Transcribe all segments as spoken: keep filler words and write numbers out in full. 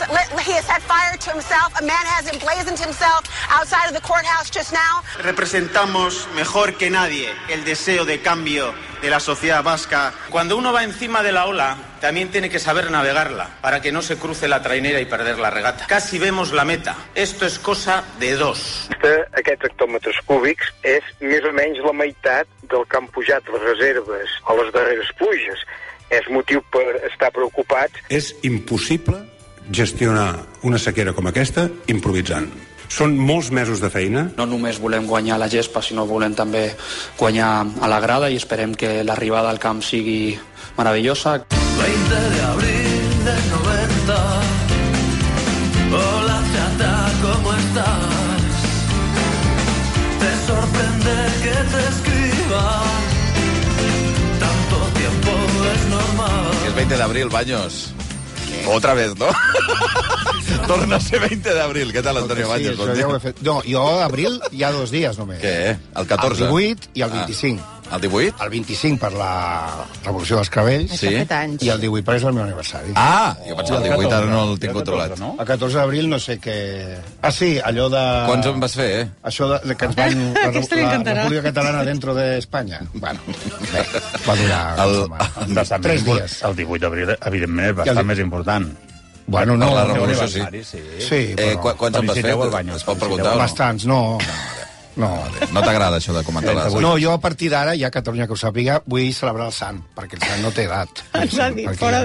he has set fire to himself. A man has emblazoned himself outside of the courthouse just now. Representamos mejor que nadie el deseo de cambio de la sociedad vasca. Cuando uno va encima de la ola, también tiene que saber navegarla para que no se cruce la trainera y perder la regata. Casi vemos la meta. Esto es cosa de dos. Aquests hectòmetres cúbics és més o menys la meitat del que han pujat les reserves a les darreres pluges. És motiu per estar preocupats. És impossible gestionar una sequera com aquesta improvisant. Són molts mesos de feina. No només volem guanyar la gespa, sinó volem també guanyar a la grada i esperem que l'arribada al camp sigui meravellosa. veinte de abril del noventa. Hola chata, ¿cómo estás? Te sorprende que te escriba. Tanto tiempo es normal. Que es veinte de abril, Baños. Otra vez, ¿no? Torna a ser veinte de abril. Què tal, Antonio Baños? Sí, això ja ho he fet. No, jo a abril hi ha dos dies només. Què? El catorze? El divuit i el vint-i-cinc. Ah. El divuit? El vint-i-cinc per la Revolució dels Clavells. Sí. I el divuit perquè és el meu aniversari. Ah, jo pensava el divuit, ara no el tinc controlat. El catorze d'abril no sé què... Ah, sí, allò de... Quants en vas fer, eh? Això de, de que ens van... La, la República Catalana dentro d'Espanya. Bueno, bé, va durar... El, el, tres dies. El divuit d'abril, evidentment, és bastant més important. Bueno, no... La Revolució, sí. Sí, sí eh, però... Quants en vas fer? Es pot preguntar o no? Bastants, no... No, no t'agrada això de comentar les... No, jo a partir d'ara, ja Catalunya que ho sàpiga, vull celebrar el sant, perquè el sant no té edat. Ens ha dit, perquè... fora,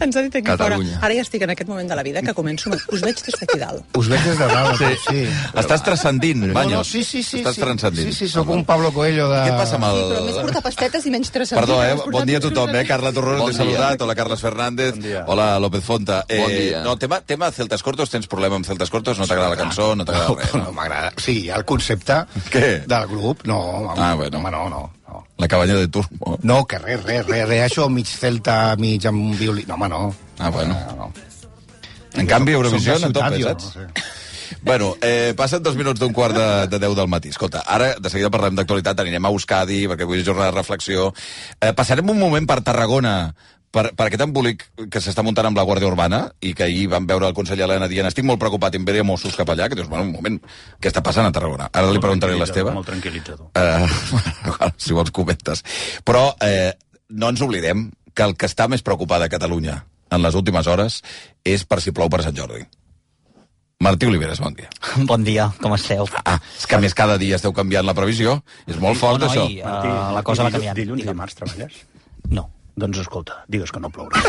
ens ha dit aquí Catalunya. fora. Ara ja estic en aquest moment de la vida que començo... Us veig des d'aquí dalt. Us veig des de dalt, sí. sí. Estàs transcendint, Baños. No, no, sí, sí, sí. Estàs transcendint. Sí, sí, sóc un Pablo Coelho de... Què et passa amb el... Sí, però més portar pastetes i menys transcendint. Perdó, eh? Bon dia a tothom, eh? Carla Torrón, bon t'he saludat. Hola, Carles Fernández. Bon hola, López Fonta. Eh, bon dia. No, tema, tema Celtas Cortos, tens problema amb Celtas Cortos? No t'agrada la cançó? No t'agrada res? No, no m'agrada. Sí, hi ha el concepte... Què? Del grup, no, home, ah, bueno. home, no, no, no. La cabanya de Turbo. No, que res, res, res, res, això mig celta, mig amb violí... No, home, no. Ah, bueno. No, no. En canvi, Eurovisió no ciutat, toca, jo, saps? no sé. Bueno, eh, passen dos minuts d'un quart de, de deu del matí. Escolta, ara de seguida parlem d'actualitat, anirem a Euskadi, perquè avui és jornada de reflexió. Eh, passarem un moment per Tarragona, per, per aquest embolic que s'està muntant amb la Guàrdia Urbana, i que ahir vam veure el conseller Elena dient estic molt preocupat, enviaré Mossos cap allà, que dius, bueno, un moment, què està passant a Tarragona? Ara li preguntaré a l'Esteve. Molt tranquil·litzador. Eh, si vols comentes. Però eh, no ens oblidem que el que està més preocupat a Catalunya en les últimes hores és per si plou per Sant Jordi. Martí Oliveres, bon dia. Bon dia, com esteu? Ah, és que a més cada dia esteu canviant la previsió. És molt fort, no, això. I, uh, la cosa va canviant. Dilluns i dimarts treballes? No. Doncs escolta, digues que no plourà.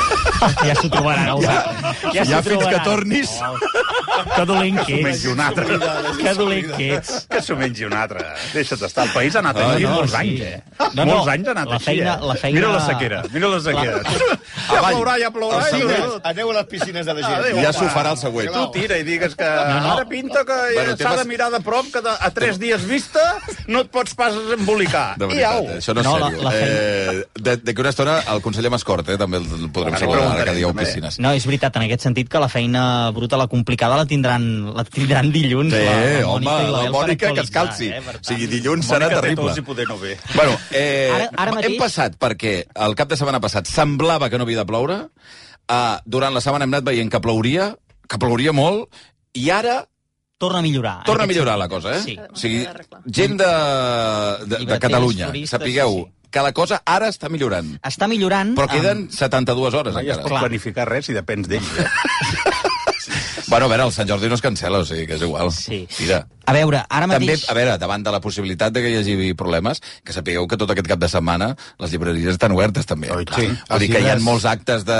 Ja s'ho trobaran. Ja, ja, ja fins que tornis. Oh, que dolent que ets. Que s'ho mengi un altre. Que dolent que ets. Que s'ho mengi un altre. Deixa't estar. El país ha anat així no, no, molts sí. anys, eh? No, no, molts anys ha anat la feina, així, eh? La feina... Mira la sequera, mira la sequera. La... Ja plourà, ja plourà. Piscines, aneu a les piscines de la gent. Ja s'ho farà el següent. Tu tira i digues que no, no. ara pinta que bueno, s'ha temes... de mirar de prop, que a tres dies vista no et pots pas embolicar. De veritat, eh? Això no és no, sèrio. La, la feina... eh, D'aquí una estona el conseller Mascort, eh? També el podrem saludar ara que dieu piscines. No, és veritat, en aquest sentit que la feina bruta, la complicada, la tindran, la tindran dilluns. Sí, la, la home, la Mònica que es calci. Eh, o sigui, dilluns serà terrible. No ve. Bueno, eh, ara, ara mateix... hem passat perquè el cap de setmana passat semblava que no havia de ploure, uh, durant la setmana hem anat veient que plouria, que plouria molt, i ara... Torna a millorar. Torna a millorar la cosa, eh? Sí. O sigui, gent de, de, de Catalunya, sapigueu... Sí. Que la cosa ara està millorant. Està millorant... Però queden amb... setanta-dues hores, no, encara. Ja es pot planificar res si depens d'ells, eh? Bueno, a veure, el Sant Jordi no es cancela, o sigui que és igual. Sí. Mira. A veure, ara mateix... També, a veure, davant de la possibilitat de que hi hagi problemes, que sapigueu que tot aquest cap de setmana les llibreries estan obertes, també. Oh, sí. Vull dir que hi ha molts actes de,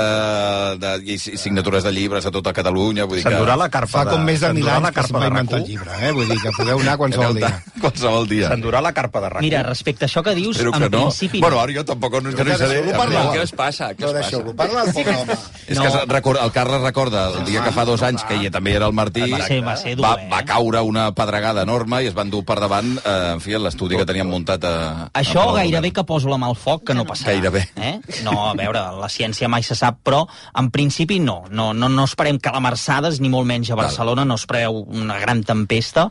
de, de signatures de llibres a tota Catalunya. Vull dir que... S'endurà la carpa de... Fa com més de mil anys que es va de inventar el llibre, eh? Vull dir que podeu anar qualsevol dia. Qualsevol dia. S'endurà la carpa de rac. Mira, respecte a això que dius, Espero en que no. principi... Bueno, ara jo tampoc no, que no hi seré. Què us passa? No, deixeu-lo parlar, el pobre home. És que el Carles recorda el dia que fa dos anys, que ella també era el Martí, va ser, va, ser dur, va, eh? va caure una pedregada enorme i es van dur per davant, eh, en fi, l'estudi que teníem muntat a... Això a gairebé que poso la mà al foc, que no passarà. Gairebé. Eh? No, a veure, la ciència mai se sap, però en principi no. No, no, no esperem calamarsades, ni molt menys a Barcelona, no es preveu una gran tempesta.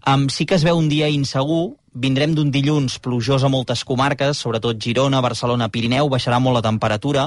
Um, sí que es veu un dia insegur. Vindrem d'un dilluns plujós a moltes comarques, sobretot Girona, Barcelona, Pirineu, baixarà molt la temperatura,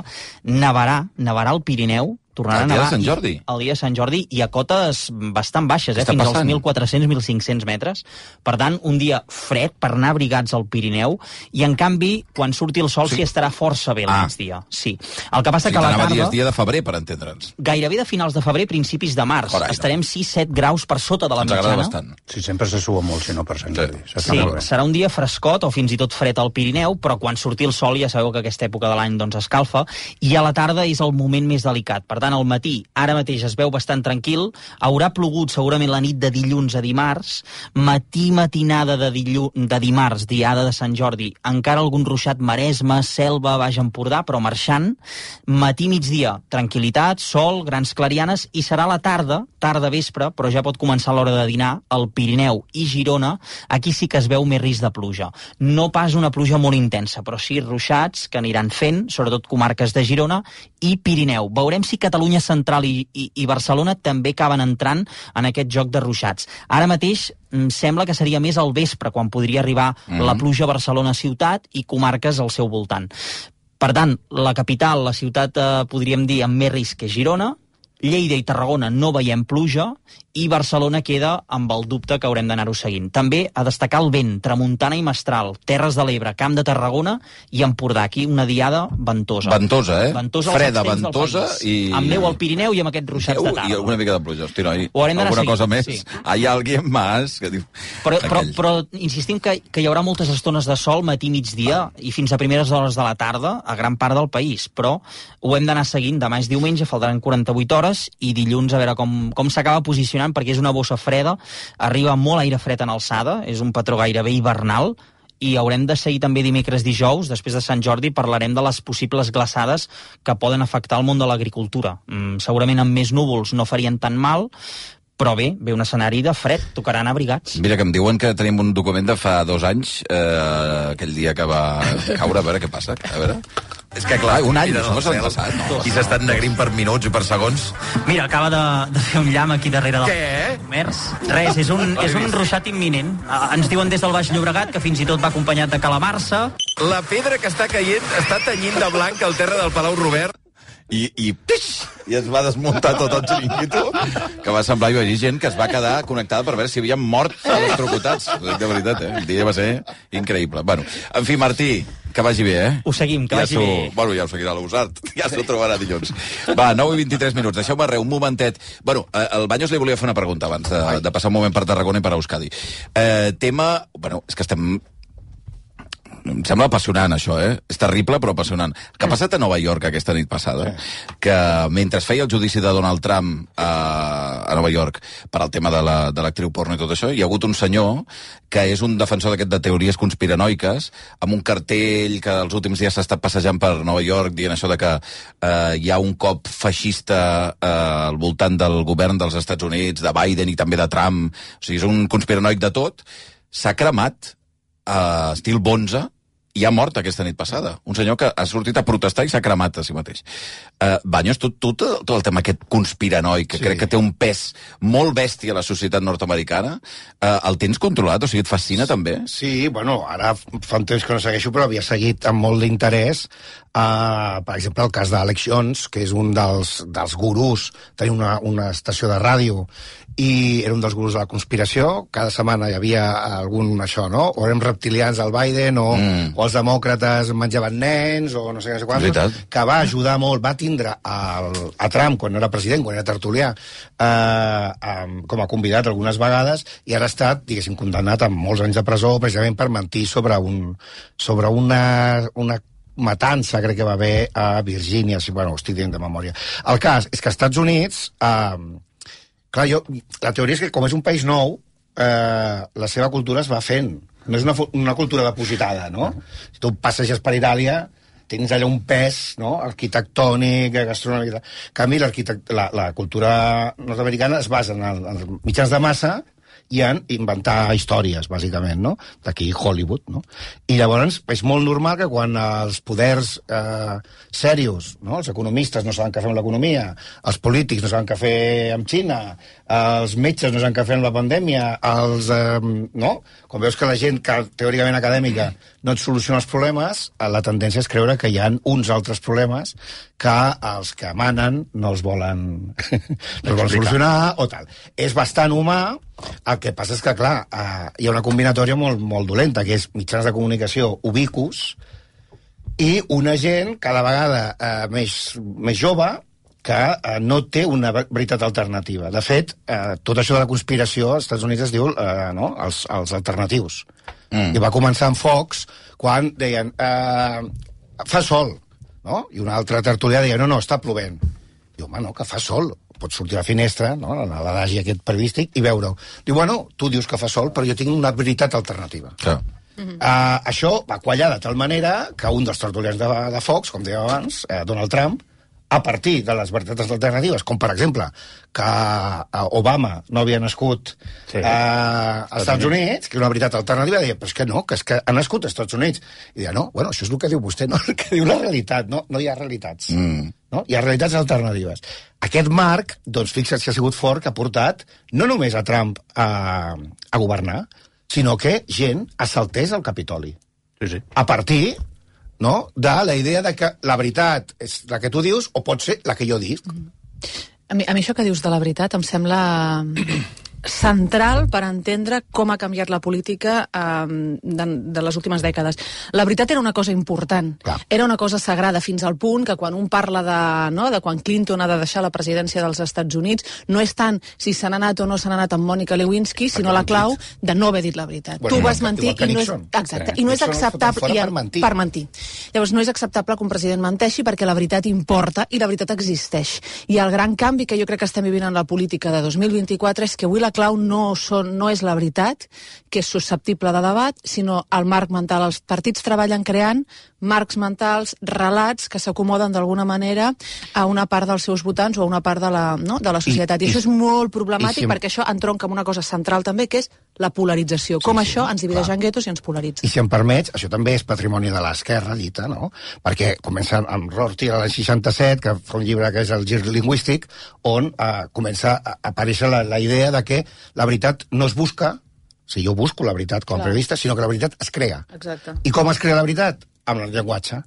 nevarà, nevarà al Pirineu, tornaran el dia a de nevar Sant Jordi. el dia de Sant Jordi i a cotes bastant baixes, eh, fins passant? als mil quatre-cents a mil cinc-cents metres. Per tant, un dia fred per anar abrigats al Pirineu i, en canvi, quan surti el sol s'hi sí estarà força bé al ah. migdia. Sí. El que passa o sigui, que a la tarda... Dia, dia de febrer, per entendre'ns. Gairebé de finals de febrer, principis de març. Carai, no. Estarem sis set graus per sota de la Ens mitjana. agrada bastant. Sí, sempre se sua molt, si no per Sant Jordi. Sí, sí serà un dia frescot o fins i tot fred al Pirineu, però quan surti el sol ja sabeu que aquesta època de l'any doncs, escalfa, i a la tarda és el moment més delicat. Per tant, al matí, ara mateix es veu bastant tranquil, haurà plogut segurament la nit de dilluns a dimarts, matí matinada de, dillu... de dimarts, diada de Sant Jordi, encara algun ruixat Maresme, Selva, Baix Empordà, però marxant, matí migdia, tranquil·litat, sol, grans clarianes, i serà la tarda, tarda vespre, però ja pot començar l'hora de dinar, al Pirineu i Girona, aquí sí que es veu més risc de pluja. No pas una pluja molt intensa, però sí ruixats que aniran fent, sobretot comarques de Girona i Pirineu. Veurem si Catalunya Central i, i, i Barcelona també acaben entrant en aquest joc de ruixats. Ara mateix em sembla que seria més al vespre, quan podria arribar mm. la pluja a Barcelona ciutat i comarques al seu voltant. Per tant, la capital, la ciutat, eh, podríem dir, amb més risc que Girona, Lleida i Tarragona no veiem pluja, i Barcelona queda amb el dubte que haurem d'anar-ho seguint. També a destacar el vent, tramuntana i mestral, Terres de l'Ebre, Camp de Tarragona i Empordà. Aquí una diada ventosa. Ventosa, eh? Ventosa freda, ventosa i... Amb neu al Pirineu i amb aquests ruixats de tarda. I una mica de pluja. Hosti, noi, alguna seguint, cosa més? Sí. Hi ha alguien más que diu... Però, però, però insistim que, que hi haurà moltes estones de sol matí, migdia i fins a primeres hores de la tarda a gran part del país, però ho hem d'anar seguint. Demà és diumenge, faltaran quaranta-vuit hores i dilluns a veure com, com s'acaba posicionant, perquè és una bossa freda, arriba molt aire fred en alçada, és un patró gairebé hivernal, i haurem de seguir també dimecres, dijous, després de Sant Jordi, parlarem de les possibles glaçades que poden afectar el món de l'agricultura. Mm, segurament amb més núvols no farien tan mal, però bé, ve un escenari de fred, tocaran abrigats. Mira, que em diuen que tenim un document de fa dos anys, eh, aquell dia que va caure, a veure què passa, a veure... És que, clar, un any, això s'ha passat, no? I s'ha estat negrint per minuts i per segons. Mira, acaba de, de fer un llamp aquí darrere del... Què? Comerç. Res, és un, és un ruixat imminent. Ens diuen des del Baix Llobregat que fins i tot va acompanyat de calamarsa. La pedra que està caient està tenyint de blanc el terra del Palau Robert. I, i, pix, i es va desmuntar tot el xiringuito, que va semblar, hi va haver gent que es va quedar connectada per veure si havien mort electrocutats. De veritat, eh? El dia va ser increïble. Bueno, en fi, Martí, que vagi bé, eh? Ho seguim, que ja vagi bé. Bueno, ja ho seguirà l'Usart, ja s'ho trobarà dilluns. Va, nou i vint-i-tres minuts, deixeu-me res, un momentet. Bueno, el Banyos li volia fer una pregunta abans de, de passar un moment per Tarragona i per Euskadi. Eh, tema... Bueno, és que estem... Em sembla apassionant, això, eh? És terrible, però apassionant. El que ha passat a Nova York aquesta nit passada, que mentre feia el judici de Donald Trump a, a Nova York per al tema de l'actriu la, porno i tot això, hi ha hagut un senyor que és un defensor d'aquest de teories conspiranoiques, amb un cartell que els últims dies s'ha estat passejant per Nova York dient això de que eh, hi ha un cop feixista eh, al voltant del govern dels Estats Units, de Biden i també de Trump. O sigui, és un conspiranoic de tot. S'ha cremat a uh, estil Bonza, i ha mort aquesta nit passada. Un senyor que ha sortit a protestar i s'ha cremat a si mateix. Uh, Banyos, tu, tu tot el tema aquest conspiranoic, que sí, crec que té un pes molt bèstia a la societat nord-americana, uh, el tens controlat? O sigui, et fascina també? Sí, bueno, ara fa un temps que no segueixo, però havia seguit amb molt d'interès, uh, per exemple, el cas d'Alex Jones, que és un dels, dels gurús, tenia una, una estació de ràdio, i era un dels gurus de la conspiració. Cada setmana hi havia algun això, no? O érem reptilians al Biden, o, mm. o els demòcrates menjaven nens, o no sé, no sé quants, que va ajudar molt, va tindre el, a Trump, quan no era president, quan era tertulià, eh, eh, com a convidat algunes vegades, i ara ha estat, diguéssim, condemnat amb molts anys de presó, precisament per mentir sobre, un, sobre una, una matança, crec que va haver a Virgínia, si, bueno, ho estic dient de memòria. El cas és que als Estats Units... Eh, Clar, jo, la teoria és que com és un país nou, eh, la seva cultura es va fent. No és una, una cultura depositada, no? Si tu passeges per Itàlia, tens allà un pes, no?, arquitectònic, gastronòmic... En canvi, la, la cultura nord-americana es basa en, el, en els mitjans de massa i en inventar històries, bàsicament, no? D'aquí Hollywood, no? I llavors és molt normal que quan els poders eh, serios, no? Els economistes no saben què fer amb l'economia, els polítics no saben què fer amb Xina, els metges no saben què fer amb la pandèmia, els, eh, no? Quan veus que la gent que teòricament acadèmica no et soluciona els problemes, la tendència és creure que hi ha uns altres problemes que els que manen no els volen, no els volen solucionar o tal. És bastant humà. El que passa és que, clar, eh, hi ha una combinatòria molt, molt dolenta, que és mitjans de comunicació ubicus i una gent cada vegada eh, més, més jove que eh, no té una veritat alternativa. De fet, eh, tot això de la conspiració als Estats Units es diu eh, no? els, els alternatius. Mm. I va començar amb Fox quan deien eh, fa sol, no? I una altra tertulià deia no, no, està plovent. Diu, home, no, que fa sol. Pots sortir a la finestra, no?, a l'adagi aquest periodístic, i veure-ho. Diu, bueno, tu dius que fa sol, però jo tinc una veritat alternativa. Clar. Uh, això va quallar de tal manera que un dels tertulians de, de Fox, com deia abans, eh, Donald Trump, a partir de les veritats alternatives, com per exemple que uh, Obama no havia nascut sí. uh, als Estats Units, que és una veritat alternativa, deia, però és que no, que és que ha nascut als Estats Units. I deia, no, bueno, això és el que diu vostè, no el que diu la realitat, no, no hi ha realitats. Mm. No? Hi ha realitats alternatives. Aquest marc, doncs fixa't que ha sigut fort, que ha portat no només a Trump a, a governar, sinó que gent assaltés el Capitoli. Sí, sí. A partir, no?, de la idea de que la veritat és la que tu dius o pot ser la que jo dic. A mi, a mi això que dius de la veritat em sembla central per entendre com ha canviat la política eh, de, de les últimes dècades. La veritat era una cosa important, Clar. era una cosa sagrada, fins al punt que quan un parla de, no, de quan Clinton ha de deixar la presidència dels Estats Units, no és tant si se n'ha anat o no se n'ha anat amb Mònica Lewinsky, sinó la clau de no haver dit la veritat. Bueno, tu vas mentir i no és, exacte, i no és acceptable i, per, mentir. per mentir. Llavors no és acceptable que un president menteixi perquè la veritat importa i la veritat existeix. I el gran canvi que jo crec que estem vivint en la política de dos mil vint-i-quatre és que avui la clau no, són, no és la veritat, que és susceptible de debat, sinó el marc mental. Els partits treballen creant marcs mentals, relats que s'acomoden d'alguna manera a una part dels seus votants o a una part de la, no, de la societat. I, I, I això és molt problemàtic si... perquè això entronca amb una cosa central també, que és la polarització. Com sí, això sí, ens divideix clar. en guetos i ens polaritza. I si em permets, això també és patrimoni de l'esquerra, dita, no? Perquè comença amb Rorty a l'any seixanta-set, que fa un llibre que és el Gir lingüístic, on eh, comença a aparèixer la, la idea de que la veritat no es busca, o sigui, jo busco la veritat com a periodista, sinó que la veritat es crea. Exacte. I com es crea la veritat? Amb el llenguatge.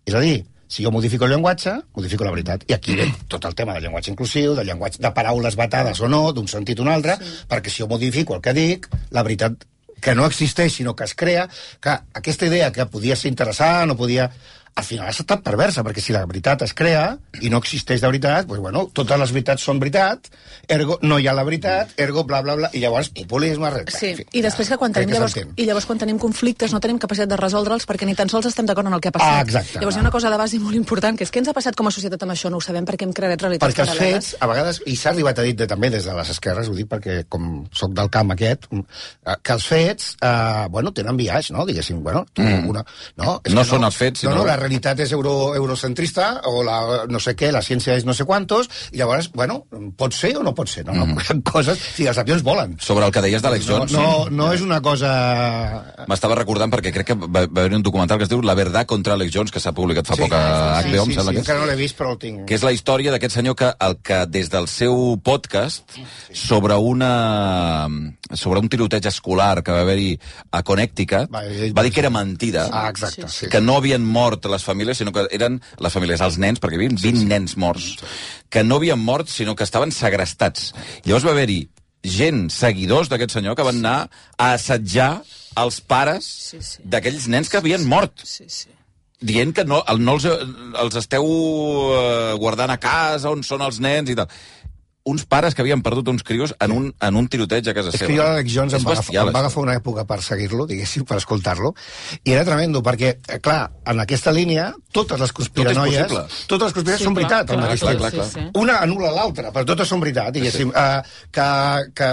És a dir, si jo modifico el llenguatge, modifico la veritat. I aquí ve tot el tema del llenguatge inclusiu, del llenguatge de paraules vetades o no, d'un sentit o un altre, sí. perquè si jo modifico el que dic, la veritat que no existeix, sinó que es crea, que aquesta idea que podia ser interessant o podia... al final ha estat perversa, perquè si la veritat es crea i no existeix de veritat, doncs, bueno, totes les veritats són veritat, ergo no hi ha la veritat, ergo bla, bla, bla, i llavors populisme... Sí, fi, i després que quan tenim, que llavors, i llavors quan tenim conflictes no tenim capacitat de resoldre'ls perquè ni tan sols estem d'acord en el que ha passat. Ah, exacte. Llavors hi ha una cosa de base molt important, que és què ens ha passat com a societat amb això, no ho sabem perquè hem creat realitats perquè els paral·leles. Fets, a vegades, i s'ha arribat a dir de, també des de les esquerres, ho dic perquè com soc del camp aquest, que els fets, eh, bueno, tenen biaix, no? Diguéssim, bueno, mm. una... No, és no que són no, els fets, sinó... No, no, la realitat és euro eurocentrista o la no sé què, la ciència és no sé quantos, i llavors, bueno, pot ser o no pot ser, no? Mm. no coses, sí, els avions volen. Sobre el que deies d'Alex Jones... No, no, no és una cosa... M'estava recordant perquè crec que va, va haver un documental que es diu La verdad contra Alex Jones, que s'ha publicat fa sí, poc a H B O, sí, sí, em sembla sí, que és. encara no l'he vist, però el tinc. Que és la història d'aquest senyor que, el que des del seu podcast sí. sobre una sobre un tiroteig escolar que va haver-hi a Connecticut, va, va dir que era mentida, ah, exacte, sí. que no havien mort les famílies, sinó que eren les famílies, els nens, perquè hi havia vint sí, sí. nens morts, que no havien mort, sinó que estaven segrestats. Llavors va haver-hi gent, seguidors d'aquest senyor, que van anar a assetjar els pares sí, sí. d'aquells nens que havien mort. Sí, sí. Dient que no, no els, els esteu guardant a casa, on són els nens i tal. Uns pares que havien perdut uns crios en un, en un tiroteig a casa és seva. És que jo l'Alex Jones em va, bestial, agafar, em va agafar una època per seguir-lo, diguéssim, per escoltar-lo, i era tremendo, perquè, clar, en aquesta línia, totes les conspiranoies... Tot totes les conspiranoies sí, són veritat, clar, al mateix clar, clar, clar. Sí, sí. Una anul·la l'altra, però totes són veritat, diguéssim. Sí. Uh, que, que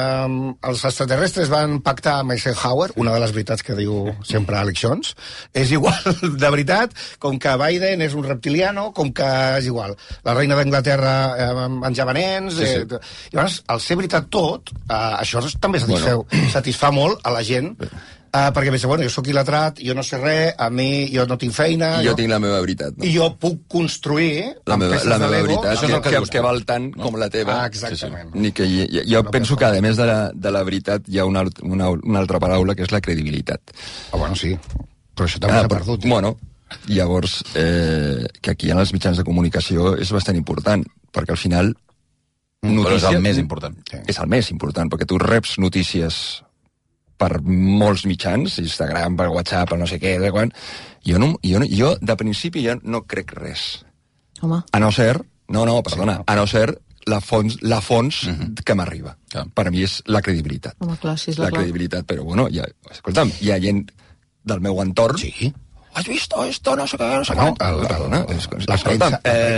els extraterrestres van pactar amb Eisenhower, una de les veritats que diu sempre Alex Jones, és igual de veritat, com que Biden és un reptiliano, com que és igual. La reina d'Anglaterra eh, menjava nens... Sí, sí. Sí. Llavors, al ser veritat tot, uh, això també satisfeu, bueno. satisfà molt a la gent, uh, perquè pensa, bueno, jo sóc il·letrat, jo no sé res, a mi jo no tinc feina... I jo, jo tinc la meva veritat. No? I jo puc construir la amb meva, peces la de meva Lego... veritat, Això que, és el que, que, que val tant no? com la teva. Ah, exactament. Sí, sí. Ni que, jo jo no penso que, a més de la, de la veritat, hi ha una, una, una altra paraula, que és la credibilitat. Ah, bueno, sí. Però això també ah, s'ha perdut. Eh? Bueno, llavors, eh, que aquí en els mitjans de comunicació és bastant important, perquè al final... Mm, notícia, però és el més important. Sí. És el més important, perquè tu reps notícies per molts mitjans, Instagram, per WhatsApp, per no sé què, de quan... Jo, no, jo, no, jo de principi, ja no crec res. Home. A no ser... No, no, perdona. Sí, no. A no ser la fons, la fons mm-hmm. que m'arriba. Ja. Per a mi és la credibilitat. Home, clar, sí, és la, la credibilitat, però bueno, ja, escolta'm, hi ha gent del meu entorn... Sí. Has vist esto, no sé què, no sé no, què... El, el, no, és, la premsa... Eh,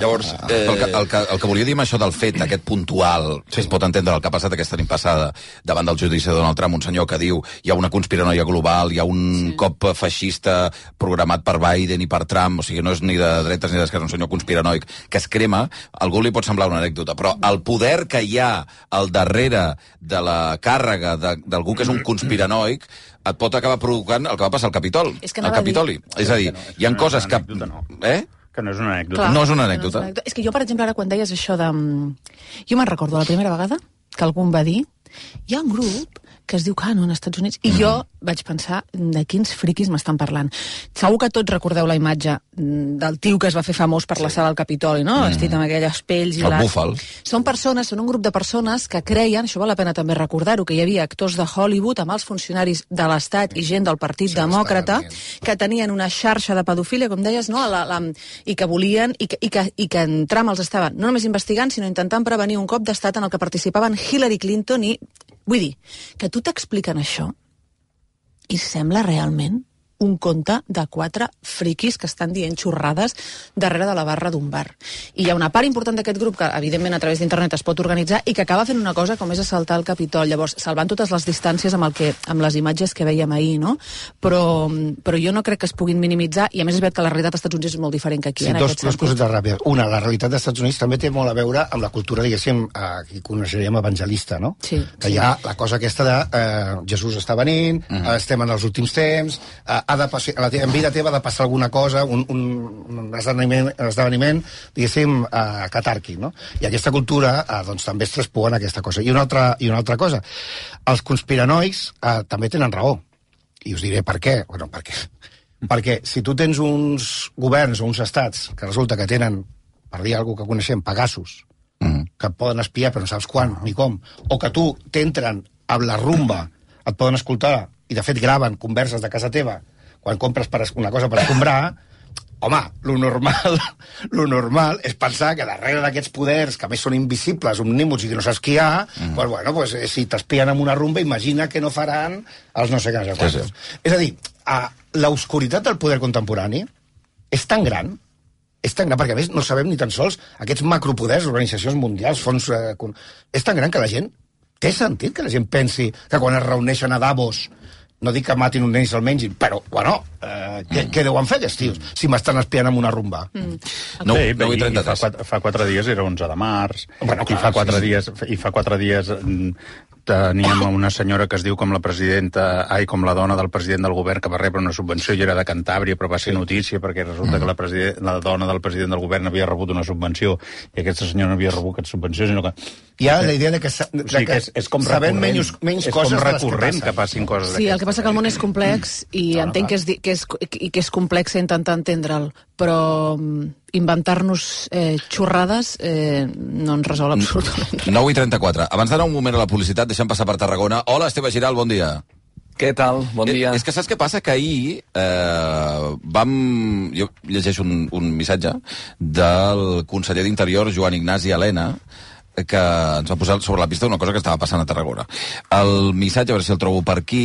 llavors, eh, el, que, el, que, el que volia dir amb això del fet, aquest puntual, sí. que es pot entendre el que ha passat aquesta nit passada davant del judici de Donald Trump, un senyor que diu hi ha una conspiranoia global, hi ha un sí. cop feixista programat per Biden i per Trump, o sigui, no és ni de dretes ni d'esquerres, un senyor conspiranoic que es crema, a algú li pot semblar una anècdota, però el poder que hi ha al darrere de la càrrega d'algú que és un conspiranoic et pot acabar provocant el que va passar al Capitol, al Capitoli. És a dir, no, hi ha no coses que... No. Eh? Que no és una anècdota. Clar, no és una anècdota. No és, una anècdota. És que jo, per exemple, ara quan deies això de... Jo me'n recordo la primera vegada que algú em va dir hi ha un grup que es diu Canon als Estats Units, i mm. jo vaig pensar de quins friquis m'estan parlant. Segur que tots recordeu la imatge del tio que es va fer famós per sí. la sala del Capitoli, no? Mm. Vestit amb aquelles pells i el búfal. Són persones, són un grup de persones que creien, això val la pena també recordar-ho, que hi havia actors de Hollywood amb els funcionaris de l'Estat i gent del Partit sí, Demòcrata que tenien una xarxa de pedofília, com deies, no? La, la, i que volien, i que, i, que, i que en Trump els estaven no només investigant, sinó intentant prevenir un cop d'estat en el que participaven Hillary Clinton i... Vull dir, que tu t'expliquen això i sembla realment un conte de quatre friquis que estan dient xorrades darrere de la barra d'un bar. I hi ha una part important d'aquest grup que, evidentment, a través d'internet es pot organitzar i que acaba fent una cosa com és assaltar el Capitol. Llavors, salvant totes les distàncies amb, el que, amb les imatges que veiem ahir, no? Però, però jo no crec que es puguin minimitzar, i a més és veritat que la realitat als Estats Units és molt diferent que aquí. Sí, en dos, aquest dos coses ràpides. Una, la realitat dels Estats Units també té molt a veure amb la cultura, diguéssim, eh, que coneixeríem evangelista, no? Sí. Que sí. hi ha la cosa aquesta de eh, Jesús està venint, mm. eh, estem en els últims temps, eh, ha de passar... La en vida teva ha de passar alguna cosa, un, un, un esdeveniment, esdeveniment diguéssim, eh, catàrquic, no? I aquesta cultura, eh, doncs, també es traspua en aquesta cosa. I una altra, i una altra cosa, els conspiranoics eh, també tenen raó. I us diré per què. Bueno, per què? Perquè si tu tens uns governs o uns estats que resulta que tenen, per dir alguna cosa que coneixem, pegassos, mm. que et poden espiar però no saps quan ni com, o que tu t'entren amb la rumba, et poden escoltar i de fet graven converses de casa teva quan compres per una cosa per escombrar, home, lo normal, lo normal és pensar que darrere d'aquests poders, que a més són invisibles, omnímots i que no saps qui hi ha, mm. pues, bueno, pues, si t'espien amb una rumba, imagina que no faran els no sé què, no sé quantos. Sí, sí. És a dir, l'obscuritat del poder contemporani és tan gran, és tan gran, perquè a més no sabem ni tan sols aquests macropoders, organitzacions mundials, fons... Eh, és tan gran que la gent... Té sentit que la gent pensi que quan es reuneixen a Davos... No dic que matin un nen i se'l mengin, però, bueno, eh, què, mm. què deuen fer aquests tios si m'estan espiant amb una rumba? Mm. No, sí, no, i, i fa, quatre, fa quatre dies era onze de març, bueno, clar, i fa quatre sí, dies, i fa quatre dies teníem una senyora que es diu com la presidenta, ai, com la dona del president del govern que va rebre una subvenció i era de Cantàbria, però va ser notícia perquè resulta mm. que la, president, la dona del president del govern havia rebut una subvenció i aquesta senyora no havia rebut aquesta subvenció, sinó que... Hi ha la idea de que, de sí, que és, és com sabem menys, menys és coses com recurrent que, que passin coses sí, el que passa que el món és complex i no, entenc que és, que, és, i que és complex intentar entendre'l, però inventar-nos eh, xorrades eh, no ens resol absolutament res. nou i trenta-quatre. Abans d'anar un moment a la publicitat, deixem passar per Tarragona. Hola, Esteve Giral, bon dia. Què tal? Bon dia. Eh, és que saps què passa? Que ahir eh, vam... Jo llegeixo un, un missatge del conseller d'Interior, Joan Ignasi Elena, que ens va posar sobre la pista d'una cosa que estava passant a Tarragona. El missatge, a veure si el trobo per aquí,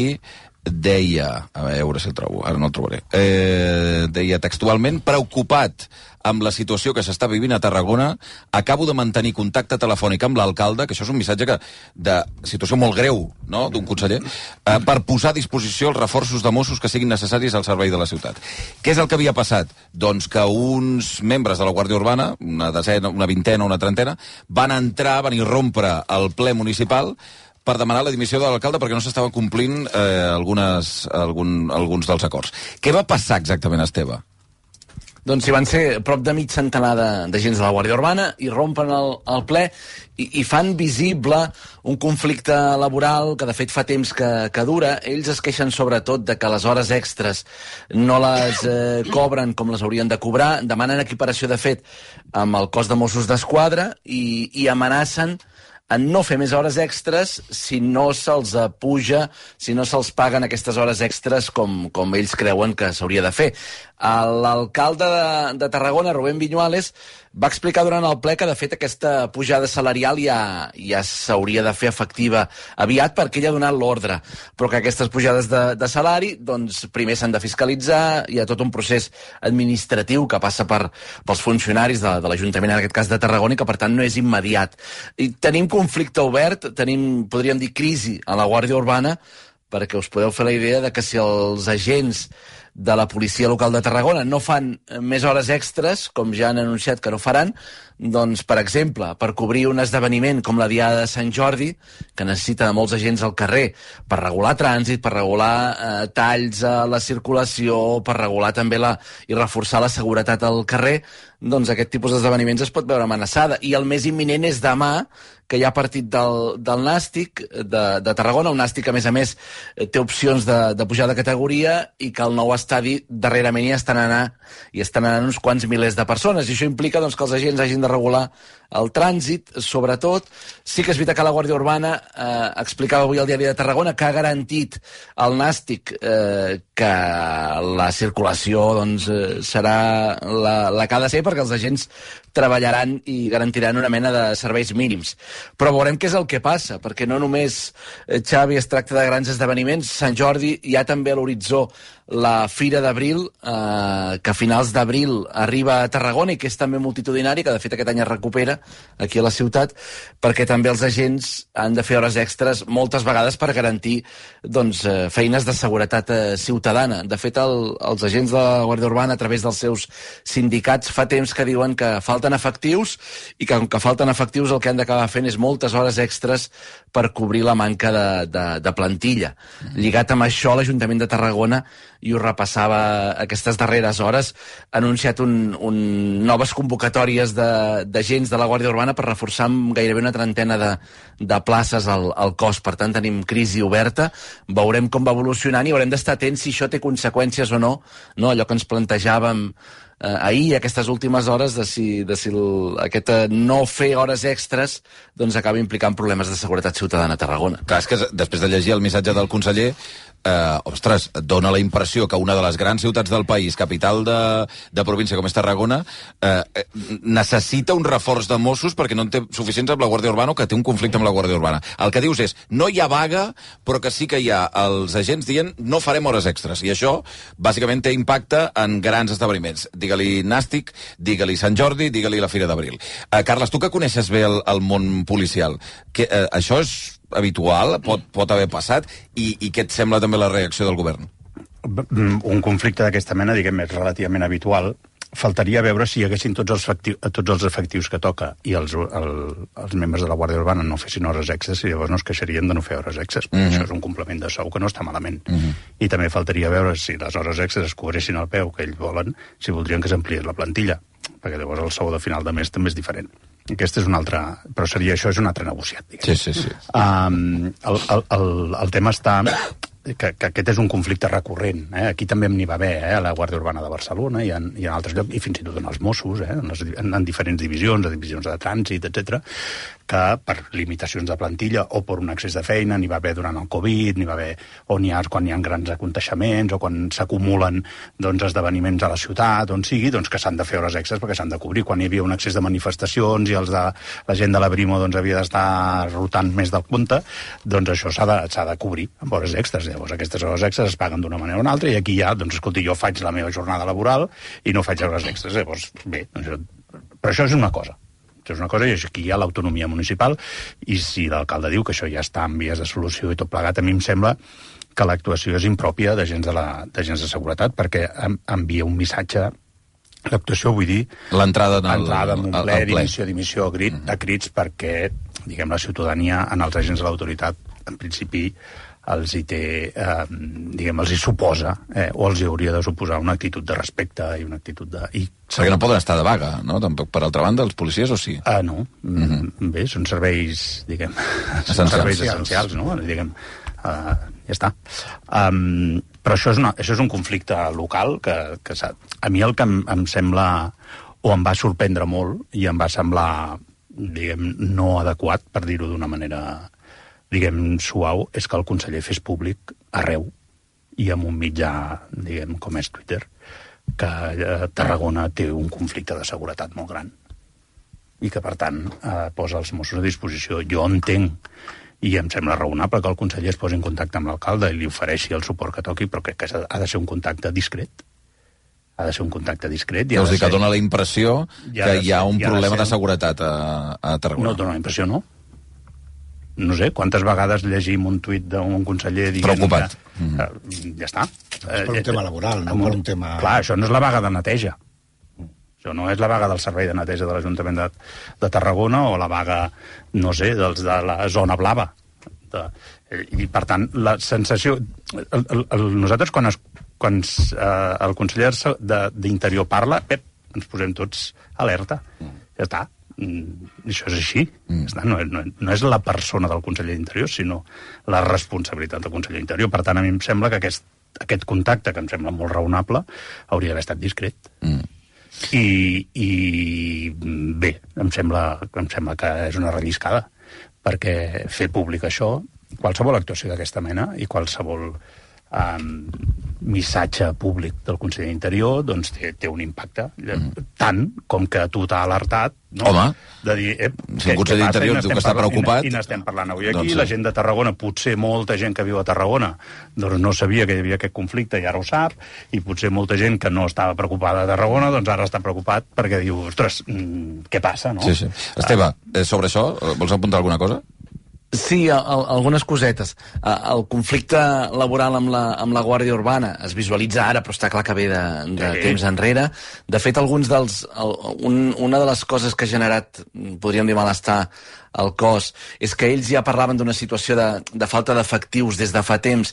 deia, a veure si el trobo, ara no el trobaré, eh, deia textualment, preocupat amb la situació que s'està vivint a Tarragona, acabo de mantenir contacte telefònic amb l'alcalde, que això és un missatge que, de situació molt greu, no?, d'un conseller, eh, per posar a disposició els reforços de Mossos que siguin necessaris al servei de la ciutat. Què és el que havia passat? Doncs que uns membres de la Guàrdia Urbana, una desena, una vintena, una trentena, van entrar, van irrompre al ple municipal per demanar la dimissió de l'alcalde perquè no s'estaven complint eh, algunes, algun, alguns dels acords. Què va passar exactament, Esteve? Doncs si van ser prop de mig centenar d'agents de, de la Guàrdia Urbana i rompen el, el ple i, i fan visible un conflicte laboral que de fet fa temps que, que dura. Ells es queixen sobretot de que les hores extres no les eh, cobren com les haurien de cobrar, demanen equiparació de fet amb el cos de Mossos d'Esquadra i, i amenacen en no fer més hores extres si no se'ls puja, si no se'ls paguen aquestes hores extres com, com ells creuen que s'hauria de fer. L'alcalde de, de Tarragona, Rubén Viñuales, va explicar durant el ple que de fet aquesta pujada salarial ja, ja s'hauria de fer efectiva aviat perquè ell ha donat l'ordre, però que aquestes pujades de, de salari doncs primer s'han de fiscalitzar, hi ha tot un procés administratiu que passa per, pels funcionaris de, de l'Ajuntament, en aquest cas de Tarragona, i que per tant no és immediat. I tenim conflicte obert, tenim, podríem dir, crisi a la Guàrdia Urbana, perquè us podeu fer la idea de que si els agents de la policia local de Tarragona no fan més hores extres, com ja han anunciat que no faran, doncs, per exemple, per cobrir un esdeveniment com la Diada de Sant Jordi, que necessita molts agents al carrer per regular trànsit, per regular eh, talls a la circulació, per regular també la, i reforçar la seguretat al carrer, doncs aquest tipus d'esdeveniments es pot veure amenaçada. I el més imminent és demà, que hi ha partit del, del Nàstic de, de Tarragona, un Nàstic que a més a més té opcions de, de pujar de categoria i que el nou estadi darrerament hi estan anant, hi estan anant uns quants milers de persones, i això implica doncs, que els agents hagin de regular el trànsit, sobretot. Sí que és veritat que la Guàrdia Urbana eh, explicava avui al Diari de Tarragona que ha garantit al Nàstic eh, que la circulació doncs, eh, serà la, la que ha de ser, perquè els agents treballaran i garantiran una mena de serveis mínims. Però veurem què és el que passa, perquè no només, eh, Xavi, es tracta de grans esdeveniments. Sant Jordi hi ha també a l'horitzó la Fira d'Abril, eh, que a finals d'abril arriba a Tarragona i que és també multitudinari, que de fet aquest any es recupera aquí a la ciutat, perquè també els agents han de fer hores extres moltes vegades per garantir doncs, eh, feines de seguretat eh, ciutadana. De fet, el, els agents de la Guàrdia Urbana, a través dels seus sindicats, fa temps que diuen que falten efectius i que com que falten efectius el que han d'acabar fent és moltes hores extres per cobrir la manca de, de, de plantilla. Lligat amb això, l'Ajuntament de Tarragona, i ho repassava aquestes darreres hores, ha anunciat un, un noves convocatòries d'agents de, de la Guàrdia Urbana per reforçar amb gairebé una trentena de, de places al, al cos. Per tant, tenim crisi oberta, veurem com va evolucionant i haurem d'estar atents si això té conseqüències o no, no? Allò que ens plantejàvem eh, ahir, aquestes últimes hores, de si, de si el, aquest eh, no fer hores extres doncs acaba implicant problemes de seguretat ciutadana a Tarragona. Clar, és que després de llegir el missatge del conseller, eh, ostres, dona la impressió que una de les grans ciutats del país, capital de, de província com és Tarragona, eh, necessita un reforç de Mossos perquè no en té suficients amb la Guàrdia Urbana o que té un conflicte amb la Guàrdia Urbana. El que dius és, no hi ha vaga, però que sí que hi ha els agents dient no farem hores extres. I això, bàsicament, té impacte en grans esdeveniments. Digue-li Nàstic, digue-li Sant Jordi, digue-li la Fira d'Abril. Eh, Carles, tu que coneixes bé el, el món policial, que, eh, això és habitual? Pot, pot haver passat? I, I què et sembla també la reacció del govern? Un conflicte d'aquesta mena, diguem, és relativament habitual. Faltaria veure si hi haguessin tots els, efectius, tots els efectius que toca i els, el, els membres de la Guàrdia Urbana no fessin hores extres i llavors no es queixarien de no fer hores extres. Mm -hmm. Això és un complement de sou que no està malament. Mm -hmm. I també faltaria veure si les hores extres es cobressin al peu que ells volen, si voldrien que s'ampliés la plantilla, perquè llavors el sou de final de mes també és diferent. Aquest és un altre... Però seria això, és un altre negociat, diguem. Sí, sí, sí. Um, el, el, el, el tema està... Que, que aquest és un conflicte recurrent. Eh? Aquí també n'hi va haver, eh? A la Guàrdia Urbana de Barcelona i en, i en altres llocs, i fins i tot en els Mossos, eh? en, les, en, en diferents divisions, divisions de trànsit, etcètera, que per limitacions de plantilla o per un excés de feina n'hi va haver durant el Covid, n'hi va haver o n'hi ha quan hi ha grans aconteixements o quan s'acumulen doncs, esdeveniments a la ciutat, on sigui, doncs que s'han de fer hores extres perquè s'han de cobrir. Quan hi havia un excés de manifestacions i els de, la gent de la Brimo doncs, havia d'estar rotant més del compte, doncs això s'ha de, s'ha de cobrir amb hores extres. Llavors aquestes hores extres es paguen d'una manera o una altra i aquí ja, doncs escolti, jo faig la meva jornada laboral i no faig hores extres. Llavors, bé, doncs, però això és una cosa. Això és una cosa i aquí hi ha l'autonomia municipal i si l'alcalde diu que això ja està en vies de solució i tot plegat, a mi em sembla que l'actuació és impròpia d'agents de, la, d'agents de seguretat perquè envia un missatge. L'actuació, vull dir... L'entrada en, entrada en un ple, dimissió, dimissió a, crit, mm. a crits, perquè, diguem, la ciutadania en els agents de l'autoritat, en principi, els hi té, eh, diguem, els hi suposa, eh, o els hi hauria de suposar una actitud de respecte i una actitud de... I, perquè no poden estar de vaga, no? Tampoc, per altra banda, els policies, o sí? Ah, no. Mm-hmm. Bé, són serveis, diguem... Són serveis essencials, no? Diguem... Uh, ja està. Um, però això és, una, això és un conflicte local que, que a mi el que em, em sembla o em va sorprendre molt i em va semblar, diguem, no adequat, per dir-ho d'una manera, diguem, suau, és que el conseller fes públic arreu i amb un mitjà, diguem, com és Twitter, que eh, Tarragona té un conflicte de seguretat molt gran i que, per tant, eh, posa els Mossos a disposició. Jo entenc i em sembla raonable que el conseller es posi en contacte amb l'alcalde i li ofereixi el suport que toqui, però crec que ha de ser un contacte discret. Ha de ser un contacte discret. Vols dir que dona la impressió que hi ha un problema de seguretat a, a Tarragona? No, dona la impressió, no. No sé, quantes vegades llegim un tuit d'un conseller dient... Preocupat. Que, mm. uh, ja està. És per un tema laboral, no per un tema... Clar, això no és la vaga de neteja. Això no és la vaga del servei de neteja de l'Ajuntament de, de Tarragona o la vaga, no sé, dels de la zona blava. De, I, per tant, la sensació... El, el, el, nosaltres, quan, es, quan es, eh, el conseller d'Interior parla, ep, ens posem tots alerta. Ja està. Mm, això és així. Mm. Ja està. No, no, no és la persona del conseller d'Interior, sinó la responsabilitat del conseller d'Interior. Per tant, a mi em sembla que aquest, aquest contacte, que em sembla molt raonable, hauria d'haver estat discret. Mm. I, i bé, em sembla, em sembla que és una relliscada, perquè fer públic això, qualsevol actuació d'aquesta mena i qualsevol um, missatge públic del conseller d'Interior doncs té, té un impacte, mm. tant com que tu t'ha alertat, no? Home, de dir, eh, si el conseller d'Interior diu que està preocupat... I n'estem parlant avui aquí, doncs sí. La gent de Tarragona, potser molta gent que viu a Tarragona doncs no sabia que hi havia aquest conflicte i ara ho sap, i potser molta gent que no estava preocupada a Tarragona doncs ara està preocupat perquè diu, ostres, mm, què passa, no? Sí, sí. Esteve, eh, sobre això, vols apuntar alguna cosa? Sí, a, a, algunes cosetes. A, el conflicte laboral amb la, amb la Guàrdia Urbana es visualitza ara, però està clar que ve de, de sí. temps enrere. De fet, alguns dels... El, un, una de les coses que ha generat, podríem dir, malestar al cos, és que ells ja parlaven d'una situació de, de falta d'efectius des de fa temps,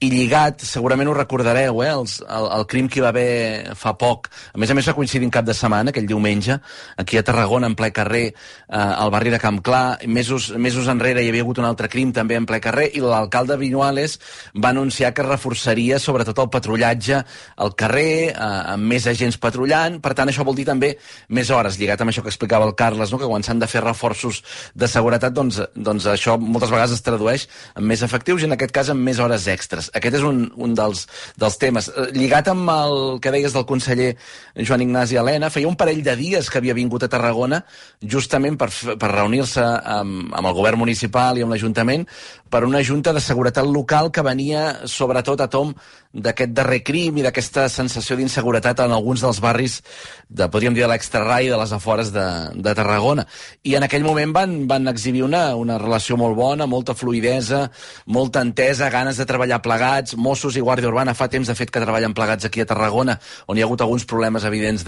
i lligat, segurament ho recordareu, eh, els, el, el crim que hi va haver fa poc, a més a més va coincidir en cap de setmana, aquell diumenge, aquí a Tarragona, en ple carrer, eh, al barri de Camp Clar, mesos, mesos enrere hi havia hagut un altre crim també en ple carrer, i l'alcalde Viñuales va anunciar que reforçaria sobretot el patrullatge al carrer, eh, amb més agents patrullant, per tant això vol dir també més hores, lligat amb això que explicava el Carles, no? Que quan s'han de fer reforços de seguretat, doncs, doncs això moltes vegades es tradueix en més efectius i en aquest cas en més hores extres. Aquest és un, un dels, dels temes. Lligat amb el que deies del conseller Joan Ignasi Elena, feia un parell de dies que havia vingut a Tarragona justament per, per reunir-se amb, amb el govern municipal i amb l'Ajuntament per una junta de seguretat local que venia sobretot a tom d'aquest darrer crim i d'aquesta sensació d'inseguretat en alguns dels barris, de, podríem dir, de l'extrarai de les afores de, de Tarragona. I en aquell moment van, van exhibir una, una relació molt bona, molta fluidesa, molta entesa, ganes de treballar plegats. Mossos i Guàrdia Urbana fa temps, de fet, que treballen plegats aquí a Tarragona, on hi ha hagut alguns problemes evidents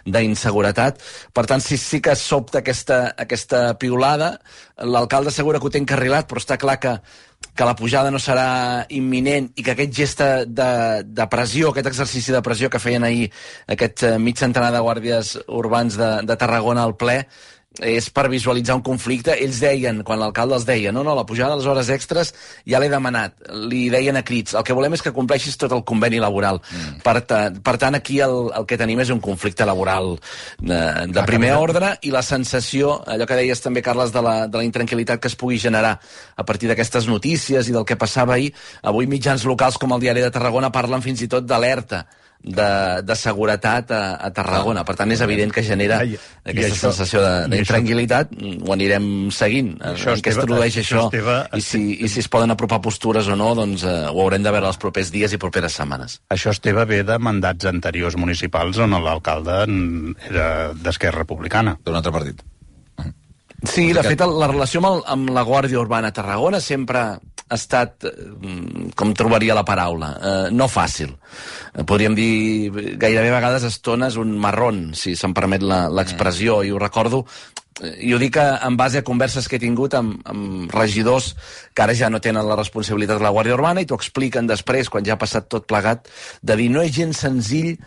d'inseguretat. Per tant, sí, sí que sobta aquesta, aquesta piulada. L'alcalde assegura que ho té encarrilat, però està clar que que la pujada no serà imminent i que aquest gest de, de pressió, aquest exercici de pressió que feien ahir aquest mig centenar de guàrdies urbans de, de Tarragona al ple, és per visualitzar un conflicte. Ells deien, quan l'alcalde els deia, no, no, la pujada de les hores extres ja l'he demanat, li deien a crits, el que volem és que compleixis tot el conveni laboral. Mm. Per, ta, per tant, aquí el, el que tenim és un conflicte laboral de, de primer ordre i la sensació, allò que deies també, Carles, de la, de la intranquil·litat que es pugui generar a partir d'aquestes notícies i del que passava ahir. Avui mitjans locals com el Diari de Tarragona parlen fins i tot d'alerta de, de seguretat a, a Tarragona. Per tant, és evident que genera Ai, aquesta això, sensació d'intranquil·litat. Ho anirem seguint, en què es tradueix això, Esteve, i, si, i si es poden apropar postures o no, doncs eh, ho haurem de veure els propers dies i properes setmanes. Això, Esteve, ve de mandats anteriors municipals on l'alcalde era d'Esquerra Republicana. D'un altre partit. Sí, de fet, la relació amb, el, amb la Guàrdia Urbana a Tarragona sempre ha estat, com trobaria la paraula, eh, no fàcil. Podríem dir, gairebé a vegades estones, un marrón, si se'm permet l'expressió, i ho recordo, i ho dic en base a converses que he tingut amb, amb regidors que ara ja no tenen la responsabilitat de la Guàrdia Urbana i t'ho expliquen després, quan ja ha passat tot plegat, de dir no és gens senzill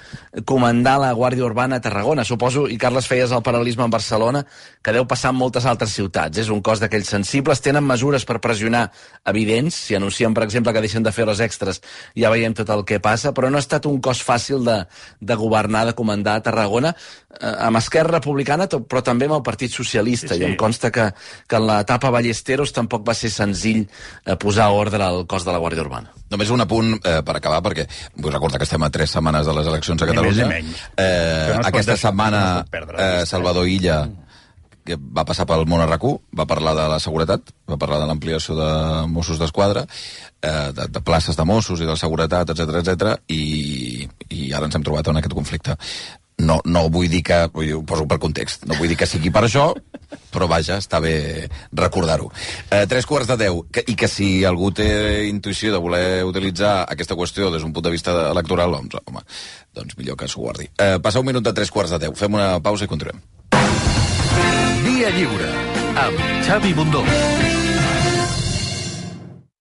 comandar la Guàrdia Urbana a Tarragona. Suposo, i Carles, feies el paral·lelisme amb Barcelona, que deu passar en moltes altres ciutats. És un cos d'aquells sensibles, tenen mesures per pressionar evidents, si anuncien, per exemple, que deixen de fer hores extres, ja veiem tot el que passa, però no ha estat un cos fàcil de, de governar, de comandar a Tarragona, eh, amb Esquerra Republicana, però també amb el Partit Socialista, sí, sí. I em consta que, que en l'etapa Ballesteros tampoc va ser senzill eh, posar ordre al cos de la Guàrdia Urbana. Només un apunt eh, per acabar, perquè vull recordar que estem a tres setmanes de les eleccions a Catalunya. Ni més ni menys. Eh, no aquesta deixar, setmana no eh, Salvador Illa, que va passar pel món a RAC u, va parlar de la seguretat, va parlar de l'ampliació de Mossos d'Esquadra, eh, de, de places de Mossos i de la seguretat, etcètera, etcètera, i, i ara ens hem trobat en aquest conflicte. No, no vull dir que, vull dir, ho poso per context, no vull dir que sigui per això, però vaja, està bé recordar-ho. Eh, tres quarts de deu, que, i que si algú té intuïció de voler utilitzar aquesta qüestió des d'un punt de vista electoral, doncs, home, doncs millor que s'ho guardi. Eh, passa un minut de tres quarts de deu, fem una pausa i continuem. Via Lliure, amb Xavi Bundó.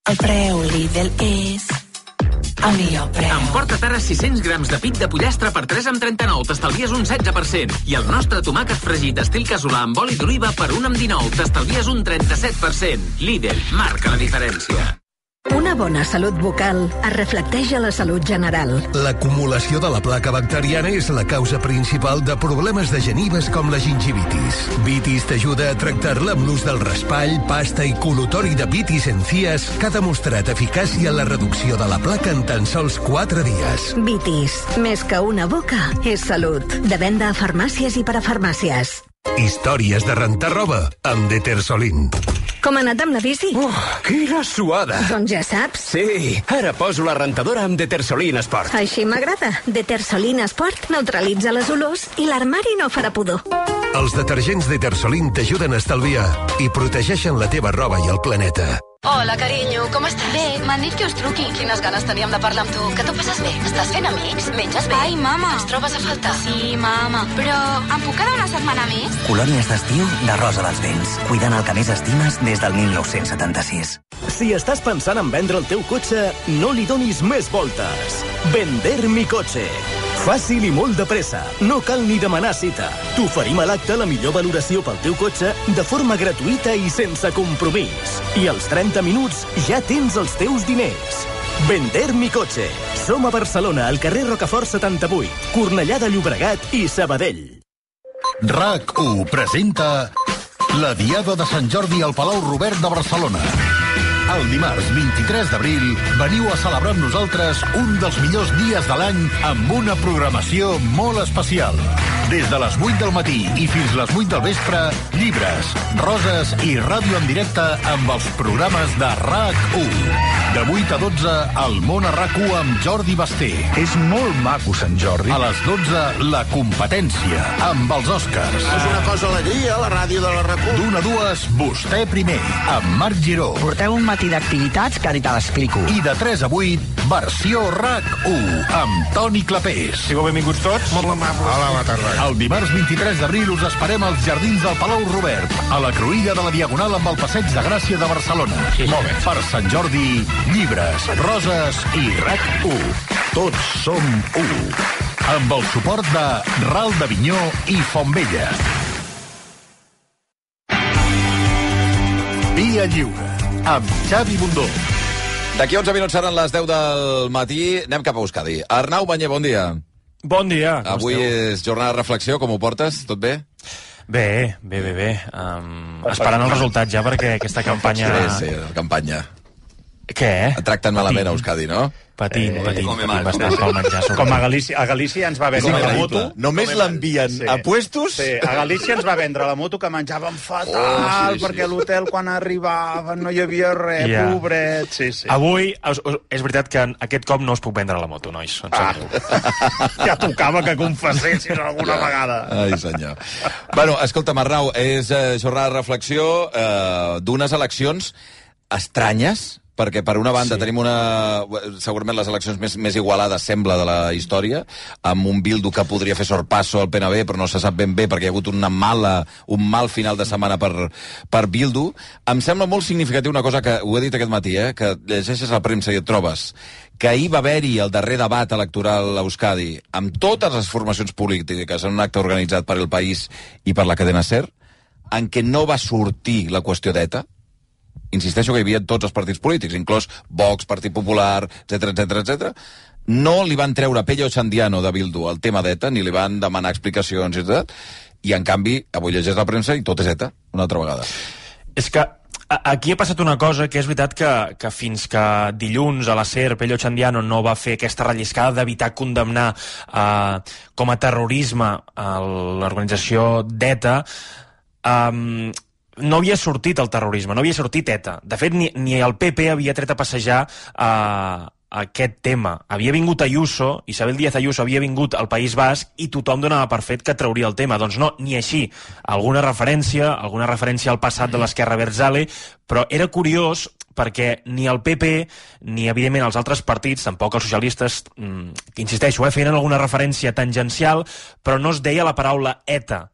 El preu Lidl és... el millor preu. Emporta't ara sis-cents grams de pit de pollastre per tres amb trenta-nou, t'estalvies un setze per cent. I el nostre tomàquet fregit estil casolà amb oli d'oliva per un amb dinou, t'estalvies un trenta-set per cent. Lidl, marca la diferència. Una bona salut bucal es reflecteix a la salut general. L'acumulació de la placa bacteriana és la causa principal de problemes de genives com la gingivitis. Vitis t'ajuda a tractar-la amb l'ús del raspall, pasta i col·lutori de Vitis Encias, que ha demostrat eficàcia en la reducció de la placa en tan sols quatre dies. Vitis, més que una boca, és salut. De venda a farmàcies i parafarmàcies. Històries de rentar roba amb Detersolin. Com ha anat amb la bici? Oh, quina suada! Doncs ja saps. Sí, ara poso la rentadora amb Detersolin Sport. Així m'agrada. Detersolin Sport neutralitza les olors i l'armari no farà pudor. Els detergents Detersolin t'ajuden a estalviar i protegeixen la teva roba i el planeta. Hola, carinyo, com estàs? Bé, m'han dit que us truqui. Quines ganes teníem de parlar amb tu. Que t'ho passes bé? Estàs fent amics? Menges bé? Ai, mama. Ens trobes a faltar? Sí, mama. Però em puc quedar una setmana més? Colònies d'estiu de Rosa dels Vents. Cuidant el que més estimes des del mil nou-cents setanta-sis. Si estàs pensant en vendre el teu cotxe, no li donis més voltes. Vender mi cotxe. Fàcil i molt de pressa. No cal ni demanar cita. T'oferim a l'acte la millor valoració pel teu cotxe de forma gratuïta i sense compromís. I als trenta minuts ja tens els teus diners. Vender mi cotxe. Som a Barcelona, al carrer Rocafort setanta-vuit, Cornellà de Llobregat i Sabadell. RAC u presenta la Diada de Sant Jordi al Palau Robert de Barcelona. El dimarts vint-i-tres d'abril veniu a celebrar amb nosaltres un dels millors dies de l'any amb una programació molt especial. Des de les vuit del matí i fins les vuit del vespre, llibres, roses i ràdio en directe amb els programes de RAC u. De vuit a dotze, el món a RAC u amb Jordi Basté. És molt maco, Sant Jordi. A les dotze, la competència amb els Oscars. És una cosa alegria, la ràdio de la RAC u. D'una a dues, vostè primer, amb Marc Giró. Porteu un matí d'activitats que ara te l'explico. I de tres a vuit, versió RAC u, amb Toni Clapés. Sigueu benvinguts tots. Molt amable. Hola, bona tarda. El dimarts vint-i-tres d'abril us esperem als Jardins del Palau Robert, a la cruïlla de la Diagonal amb el Passeig de Gràcia de Barcelona. Sí, molt bé. Per Sant Jordi, llibres, roses i RAC u. Tots som u. Amb el suport de Ral d'Avinyó i Fontvella. Via Lliure, amb Xavi Bundó. D'aquí onze minuts seran les deu del matí. Anem cap a Euskadi. Arnau Banyer, bon dia. Bon dia. Avui és jornada de reflexió, com ho portes? Tot bé? Bé, bé, bé, bé. Um, esperant el resultat ja, perquè aquesta campanya... Sí, sí, la campanya. Què? Et tracten malament a Euskadi, no? Patint, Eh, patint, come patint mal. bastant pel menjar. Com a sobretot. Galícia, a Galícia ens va vendre És la increïble. moto. Només Come l'envien mal. a puestos? Sí, a Galícia ens va vendre la moto que menjàvem fatal, Oh, sí, sí. perquè a l'hotel quan arribaven no hi havia res, Ja. pobret. Sí, sí. Avui, us- us- és veritat que aquest cop no us puc vendre la moto, nois. Em sap greu. Ja tocava que confessessis alguna vegada. Ai, senyor. Bueno, escolta, Arnau, és eh, jornada de reflexió eh, d'unes eleccions estranyes, perquè per una banda sí. tenim una, segurament les eleccions més, més igualades, sembla, de la història, amb un Bildu que podria fer sorpasso al P N B, però no se sap ben bé perquè hi ha hagut una mala, un mal final de setmana per, per Bildu. Em sembla molt significatiu una cosa que ho he dit aquest matí, eh, que llegeixes la premsa i et trobes, que ahir va haver-hi el darrer debat electoral a Euskadi amb totes les formacions polítiques en un acte organitzat per El País i per la cadena SER, en què no va sortir la qüestió d'ETA. Insisteixo que hi havia tots els partits polítics, inclòs Vox, Partit Popular, etcètera, etcètera, etcètera. No li van treure a Pello Ochandiano de Bildu el tema d'ETA, ni li van demanar explicacions, etcètera. I, en canvi, avui llegeix la premsa i tot és ETA, una altra vegada. És que a- aquí ha passat una cosa que és veritat que, que fins que dilluns a la SER Pello Ochandiano no va fer aquesta relliscada d'evitar condemnar eh, com a terrorisme a l'organització d'ETA, eh, no havia sortit el terrorisme, no havia sortit ETA. De fet, ni, ni el P P havia tret a passejar eh, aquest tema. Havia vingut Ayuso, Isabel Díaz Ayuso havia vingut al País Basc i tothom donava per fet que trauria el tema. Doncs no, ni així. Alguna referència, alguna referència al passat de l'esquerra Abertzale, però era curiós perquè ni el P P ni, evidentment, els altres partits, tampoc els socialistes, que insisteixo, eh, feien alguna referència tangencial, però no es deia la paraula ETA.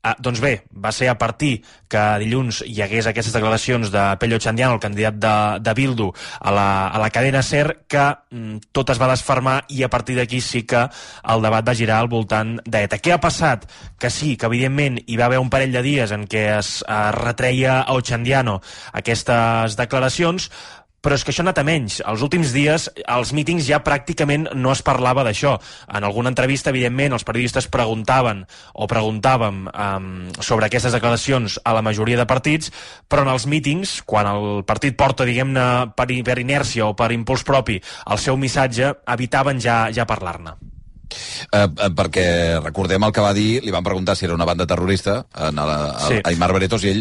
Ah, doncs bé, va ser a partir que dilluns hi hagués aquestes declaracions de Pello Ochandiano, el candidat de, de Bildu, a la, a la cadena SER, que mm, tot es va desfermar i a partir d'aquí sí que el debat va girar al voltant d'ETA. Què ha passat? Que sí, que evidentment hi va haver un parell de dies en què es eh, retreia a Ochandiano aquestes declaracions, però és que això ha anat a menys. Els últims dies, als mítings ja pràcticament no es parlava d'això. En alguna entrevista, evidentment, els periodistes preguntaven o preguntàvem um, sobre aquestes declaracions a la majoria de partits, però en els mítings, quan el partit porta, diguem-ne, per, per inèrcia o per impuls propi el seu missatge, evitaven ja, ja parlar-ne. Eh, eh, perquè recordem el que va dir, li van preguntar si era una banda terrorista en el, el, Sí. Aimar Bretos, i ell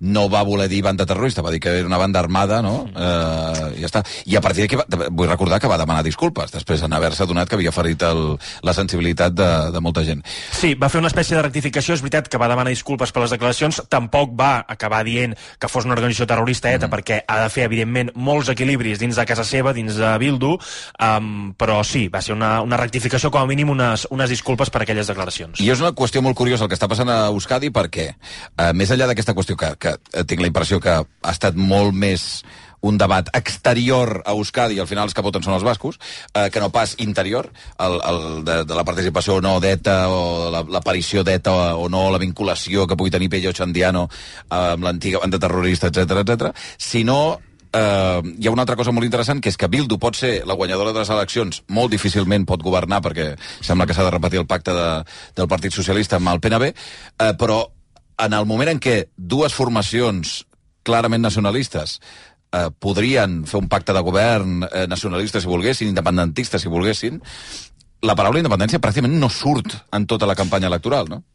no va voler dir banda terrorista, va dir que era una banda armada, no? Eh, i ja està. I a partir d'aquí, va- vull recordar que va demanar disculpes, després en haver-se adonat que havia ferit el, la sensibilitat de, de molta gent. Sí, va fer una espècie de rectificació. És veritat que va demanar disculpes per les declaracions, tampoc va acabar dient que fos una organització terrorista ETA, mm. perquè ha de fer, evidentment, molts equilibris dins de casa seva, dins de Bildu, um, però sí, va ser una, una rectificació, com a mínim unes, unes disculpes per aquelles declaracions. I és una qüestió molt curiosa el que està passant a Euskadi, perquè, eh, més enllà d'aquesta qüestió que, que eh, tinc la impressió que ha estat molt més un debat exterior a Euskadi, i al final els que voten són els bascos, eh, que no pas interior, el, el de, de la participació o no d'ETA, o la- l'aparició d'ETA o no, la vinculació que pugui tenir Pello Ochandiano amb l'antiga banda terrorista, etcètera, etcètera, sinó Uh, hi ha una altra cosa molt interessant, que és que Bildu pot ser la guanyadora de les eleccions, molt difícilment pot governar, perquè sembla que s'ha de repetir el pacte de, del Partit Socialista amb el P N B, uh, però en el moment en què dues formacions clarament nacionalistes uh, podrien fer un pacte de govern uh, nacionalista si volguessin, independentista si volguessin, la paraula independència pràcticament no surt en tota la campanya electoral, no?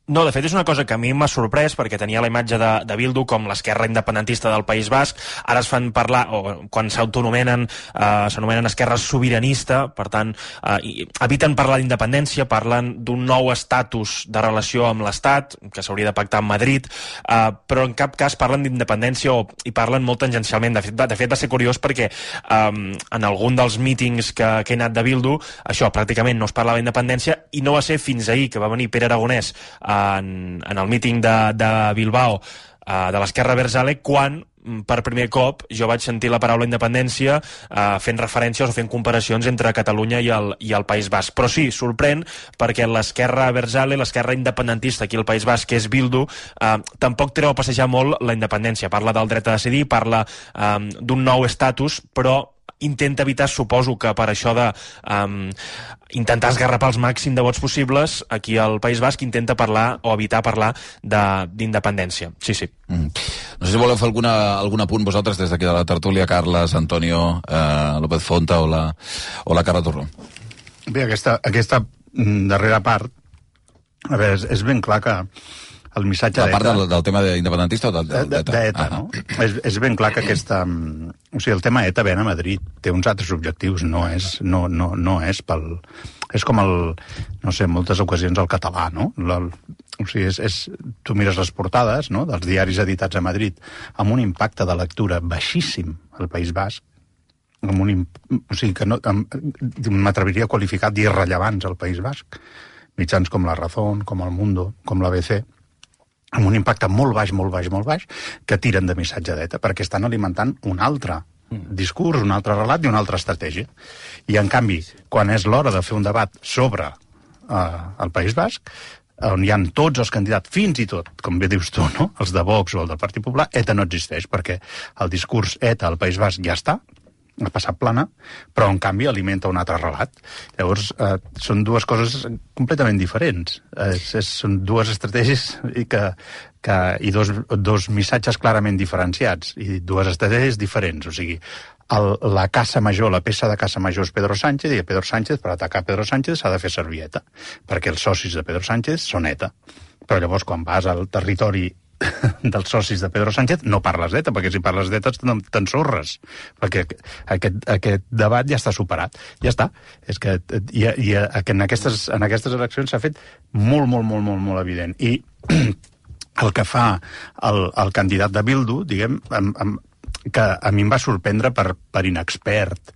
No, de fet és una cosa que a mi m'ha sorprès, perquè tenia la imatge de, de Bildu com l'esquerra independentista del País Basc. Ara es fan parlar, o quan s'autonomenen, eh, s'anomenen esquerra sobiranista, per tant, eh, i eviten parlar d'independència, parlen d'un nou estatus de relació amb l'Estat, que s'hauria de pactar amb Madrid, eh, però en cap cas parlen d'independència o, i parlen molt tangencialment. De fet, va, de fet va ser curiós perquè eh, en algun dels mítings que, que he anat de Bildu, això, pràcticament no es parlava d'independència, i no va ser fins ahir que va venir Pere Aragonès en, en el míting de, de Bilbao uh, de l'esquerra Abertzale, quan per primer cop jo vaig sentir la paraula independència uh, fent referències o fent comparacions entre Catalunya i el, i el País Basc. Però sí, sorprèn, perquè l'esquerra Abertzale, l'esquerra independentista aquí al País Basc, que és Bildu, uh, tampoc treu a passejar molt la independència. Parla del dret a decidir, parla um, d'un nou estatus, però intenta evitar, suposo que per això de um, intentar esgarrapar els màxim de vots possibles, aquí al País Basc intenta parlar o evitar parlar d'independència. Sí, sí. Mm. No sé si voleu fer alguna, algun apunt vosaltres des d'aquí de la tertúlia, Carles, Antonio, eh, López Fonta o la, o la Carla Torró. Bé, aquesta, aquesta darrera part, a veure, és, és ben clar que el missatge d'E T A... La part del, del tema independentista o d'E T A? D'E T A, no? És, és ben clar que aquesta... O sigui, el tema E T A ven a Madrid, té uns altres objectius, no és, no, no, no és pel... És com el... No sé, en moltes ocasions el català, no? La, o sigui, és, és, tu mires les portades, no?, dels diaris editats a Madrid amb un impacte de lectura baixíssim al País Basc, amb un, o sigui, que no, m'atreviria a qualificar d'irrellevants al País Basc, mitjans com La Razón, com El Mundo, com l'A B C, amb un impacte molt baix, molt baix, molt baix, que tiren de missatge d'E T A, perquè estan alimentant un altre discurs, un altre relat i una altra estratègia. I, en canvi, quan és l'hora de fer un debat sobre eh, el País Basc, on hi ha tots els candidats, fins i tot, com bé dius tu, no?, els de Vox o el del Partit Popular, E T A no existeix, perquè el discurs E T A al País Basc ja està, ha passat plana, però en canvi alimenta un altre relat. Llavors, eh, són dues coses completament diferents. Eh, és, són dues estratègies i, que, que, i dos, dos missatges clarament diferenciats, i dues estratègies diferents. O sigui, el, la caça major, la peça de caça major és Pedro Sánchez, i Pedro Sánchez, per atacar Pedro Sánchez, s'ha de fer servir E T A, perquè els socis de Pedro Sánchez són E T A. Però llavors, quan vas al territori dels socis de Pedro Sánchez, no parles d'E T A, perquè si parles d'E T A t'ensorres, perquè aquest, aquest debat ja està superat. Ja està. És que i, i en, aquestes, en aquestes eleccions s'ha fet molt, molt, molt, molt, molt evident. I el que fa el, el candidat de Bildu, diguem, amb, amb, que a mi em va sorprendre per, per inexpert,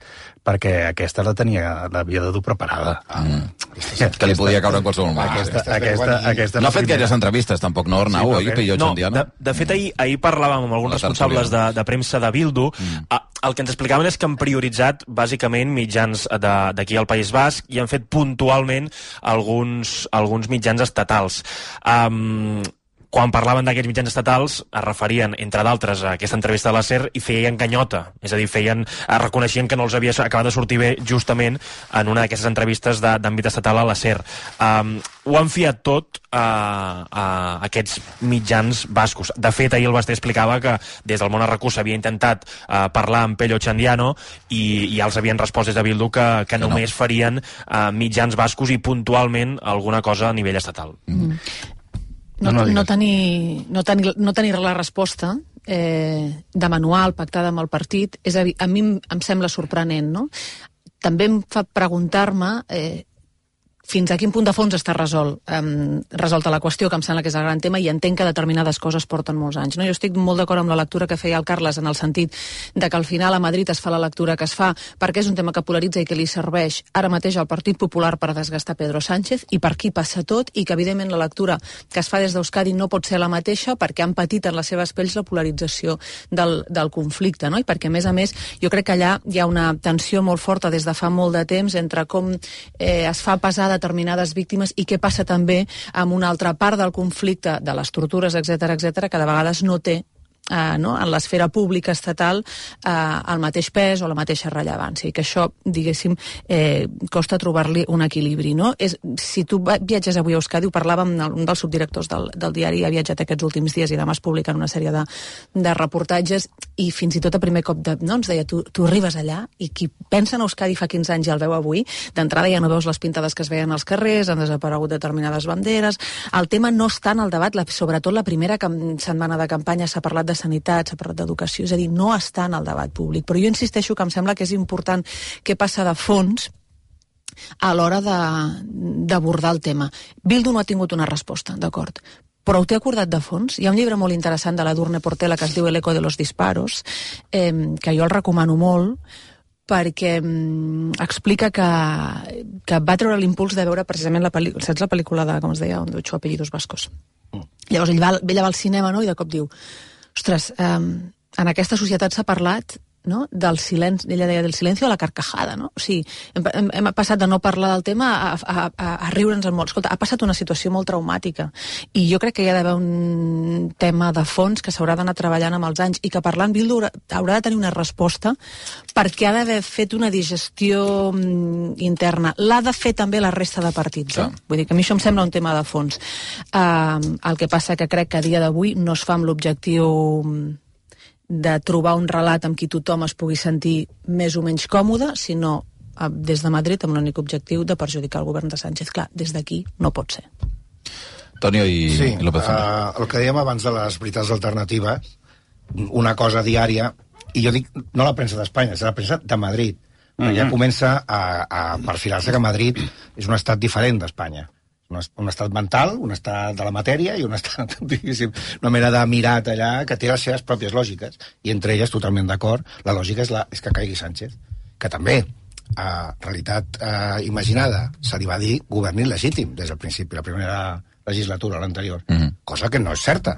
perquè aquesta la tenia, l'havia de dur preparada. Mm. Que li podia caure en qualsevol moment. Aquesta, aquesta, aquesta no ha fet primera... gaires entrevistes, tampoc, no, Arnau? Sí, oi, no, de, de fet, ahir, ahir parlàvem amb alguns responsables de, de premsa de Bildu. Mm. El que ens explicaven és que han prioritzat, bàsicament, mitjans d'aquí al País Basc i han fet puntualment alguns, alguns mitjans estatals. Um, Quan parlaven d'aquests mitjans estatals, es referien, entre d'altres, a aquesta entrevista de la SER i feien canyota. És a dir, feien, reconeixien que no els havia acabat de sortir bé justament en una d'aquestes entrevistes d'àmbit estatal a la SER. Um, ho han fiat tot a, a aquests mitjans bascos. De fet, ahir el Basté explicava que des del Món R Q s'havia intentat uh, parlar amb Pello Txandiano i, i ja els havien respost des de Bildu que, que només no. farien uh, mitjans bascos i puntualment alguna cosa a nivell estatal. Mm. No, no, no, tenir, no, tenir, no tenir la resposta eh, de manual pactada amb el partit, és a, dir, a mi em, em sembla sorprenent, no? També em fa preguntar-me eh, fins a quin punt de fons està resolt, um, resolta la qüestió, que em sembla que és el gran tema, i entenc que determinades coses porten molts anys. No? Jo estic molt d'acord amb la lectura que feia el Carles, en el sentit de que al final a Madrid es fa la lectura que es fa perquè és un tema que polaritza i que li serveix ara mateix al Partit Popular per desgastar Pedro Sánchez, i per aquí passa tot, i que evidentment la lectura que es fa des d'Euskadi no pot ser la mateixa perquè han patit en les seves pells la polarització del, del conflicte, no? I perquè, a més a més, jo crec que allà hi ha una tensió molt forta des de fa molt de temps entre com eh, es fa pesar determinades víctimes i què passa també amb una altra part del conflicte, de les tortures, etcètera, etcètera, que de vegades no té Uh, no? en l'esfera pública estatal uh, el mateix pes o la mateixa rellevància, i que això, diguéssim, eh, costa trobar-li un equilibri, no? És, si tu viatges avui a Euskadi, ho parlàvem, un dels subdirectors del, del diari ha viatjat aquests últims dies i demà es publiquen una sèrie de, de reportatges, i fins i tot a primer cop de, no, ens deia, tu, tu arribes allà i qui pensa en Euskadi fa quinze anys i el veu avui, d'entrada ja no veus les pintades que es veien als carrers, han desaparegut determinades banderes, el tema no està en el debat, la, sobretot la primera setmana de campanya s'ha parlat de sanitat, s'ha parlat d'educació, és a dir, no està en el debat públic. Però jo insisteixo que em sembla que és important què passa de fons a l'hora d'abordar el tema. Bildu no ha tingut una resposta, d'acord, però ho té acordat de fons. Hi ha un llibre molt interessant de la Durne Portela que es diu El eco de los disparos, eh, que jo el recomano molt, perquè mm, explica que, que va treure l'impuls de veure precisament la pel·lícula, saps la pel·lícula de, com es deia, On ocho apellidos vascos. Mm. Llavors ell va, ell va al cinema, no?, i de cop diu: ostres, eh, en aquesta societat s'ha parlat no? Del silenci, ella deia del silenci a la carcajada, no? O sigui, hem, hem, hem passat de no parlar del tema a, a, a, a riure'ns en molt. Escolta, ha passat una situació molt traumàtica i jo crec que hi ha d'haver un tema de fons que s'haurà d'anar treballant amb els anys i que parlant Bildu haurà, haurà de tenir una resposta perquè ha d'haver fet una digestió mm, interna. L'ha de fer també la resta de partits. Eh? Vull dir que a mi això em sembla un tema de fons. Uh, el que passa que crec que a dia d'avui no es fa amb l'objectiu de trobar un relat amb qui tothom es pugui sentir més o menys còmode, sinó uh, des de Madrid amb l'únic objectiu de perjudicar el govern de Sánchez. Clar, des d'aquí no pot ser. Tonio i sí, López Fonta. Uh, el que dèiem abans de les veritats alternatives, una cosa diària, i jo dic no la premsa d'Espanya, és la premsa de Madrid. Mm-hmm. Ja comença a, a perfilar-se que Madrid és un estat diferent d'Espanya. Un, un estat mental, un estat de la matèria i un estat, diguéssim, una mena de mirat allà que té les seves pròpies lògiques. I entre elles, totalment d'acord, la lògica és, la, és que caigui Sánchez. Que també, a realitat eh, imaginada, se li va dir govern il·legítim des del principi, la primera legislatura, l'anterior. Mm-hmm. Cosa que no és certa.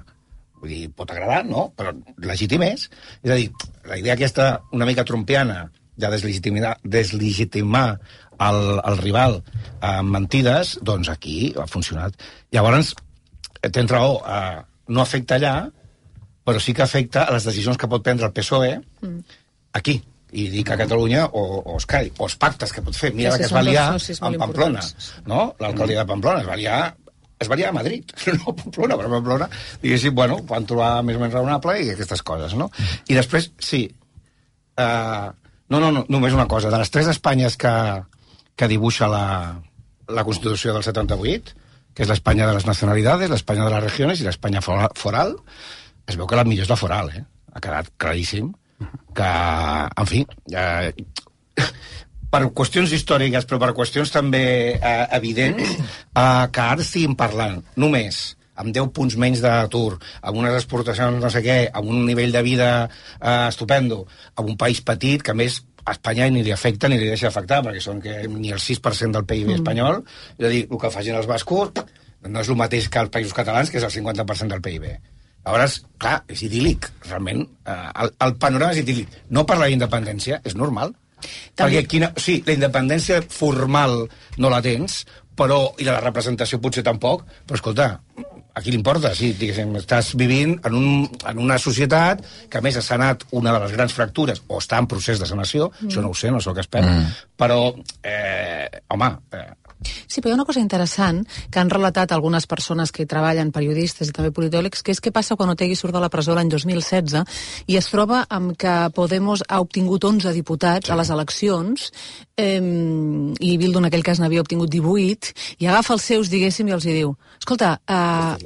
Vull dir, pot agradar, no? Però legítim és. És a dir, la idea aquesta una mica trumpiana de deslegitimar, deslegitimar el, el rival amb mentides, doncs aquí ha funcionat. Llavors, tens raó, eh, no afecta allà, però sí que afecta a les decisions que pot prendre el P S O E mm. aquí. I dic a Catalunya o, o Escai, o els pactes que pot fer. Mira sí, la que es va liar amb Pamplona, no? L'alcaldia de Pamplona es va liar es va liar a Madrid, no a Pamplona, però a Pamplona, diguéssim, bueno, van trobar més o menys raonable i aquestes coses, no? I després, sí, uh, no, no, no, només una cosa, de les tres Espanyes que, que dibuixa la, la Constitució del setanta-vuit, que és l'Espanya de les nacionalidades, l'Espanya de les regiones i l'Espanya foral, es veu que la millor és la foral, eh? Ha quedat claríssim que, en fi, eh, per qüestions històriques, però per qüestions també eh, evidents, eh, que ara estiguin parlant només amb deu punts menys d'atur, amb unes exportacions no sé què, amb un nivell de vida eh, estupendo, amb un país petit que a més a Espanya ni li afecta ni li deixa afectar, perquè són que ni el sis per cent del P I B mm. espanyol, és a dir, el que facin els bascos no és el mateix que els països catalans, que és el cinquanta per cent del P I B. Llavors, clar, és idíl·lic, realment, eh, el, el panorama és idíl·lic. No per la independència, és normal. També... Perquè quina, sí, la independència formal no la tens, però, i la representació potser tampoc, però escolta, a qui li importa? Sí, diguéssim, estàs vivint en, un, en una societat que a més ha sanat una de les grans fractures, o està en procés de sanació, mm. això no ho sé, no sé el que espero, mm. però, eh, home... Eh, Sí, però hi ha una cosa interessant que han relatat algunes persones que hi treballen, periodistes i també politòlegs, que és què passa quan Otegi surt de la presó l'any dos mil setze i es troba amb que Podemos ha obtingut onze diputats sí. a les eleccions eh, i Bildu en aquell cas n'havia obtingut divuit i agafa els seus, diguéssim, i els hi diu escolta, eh,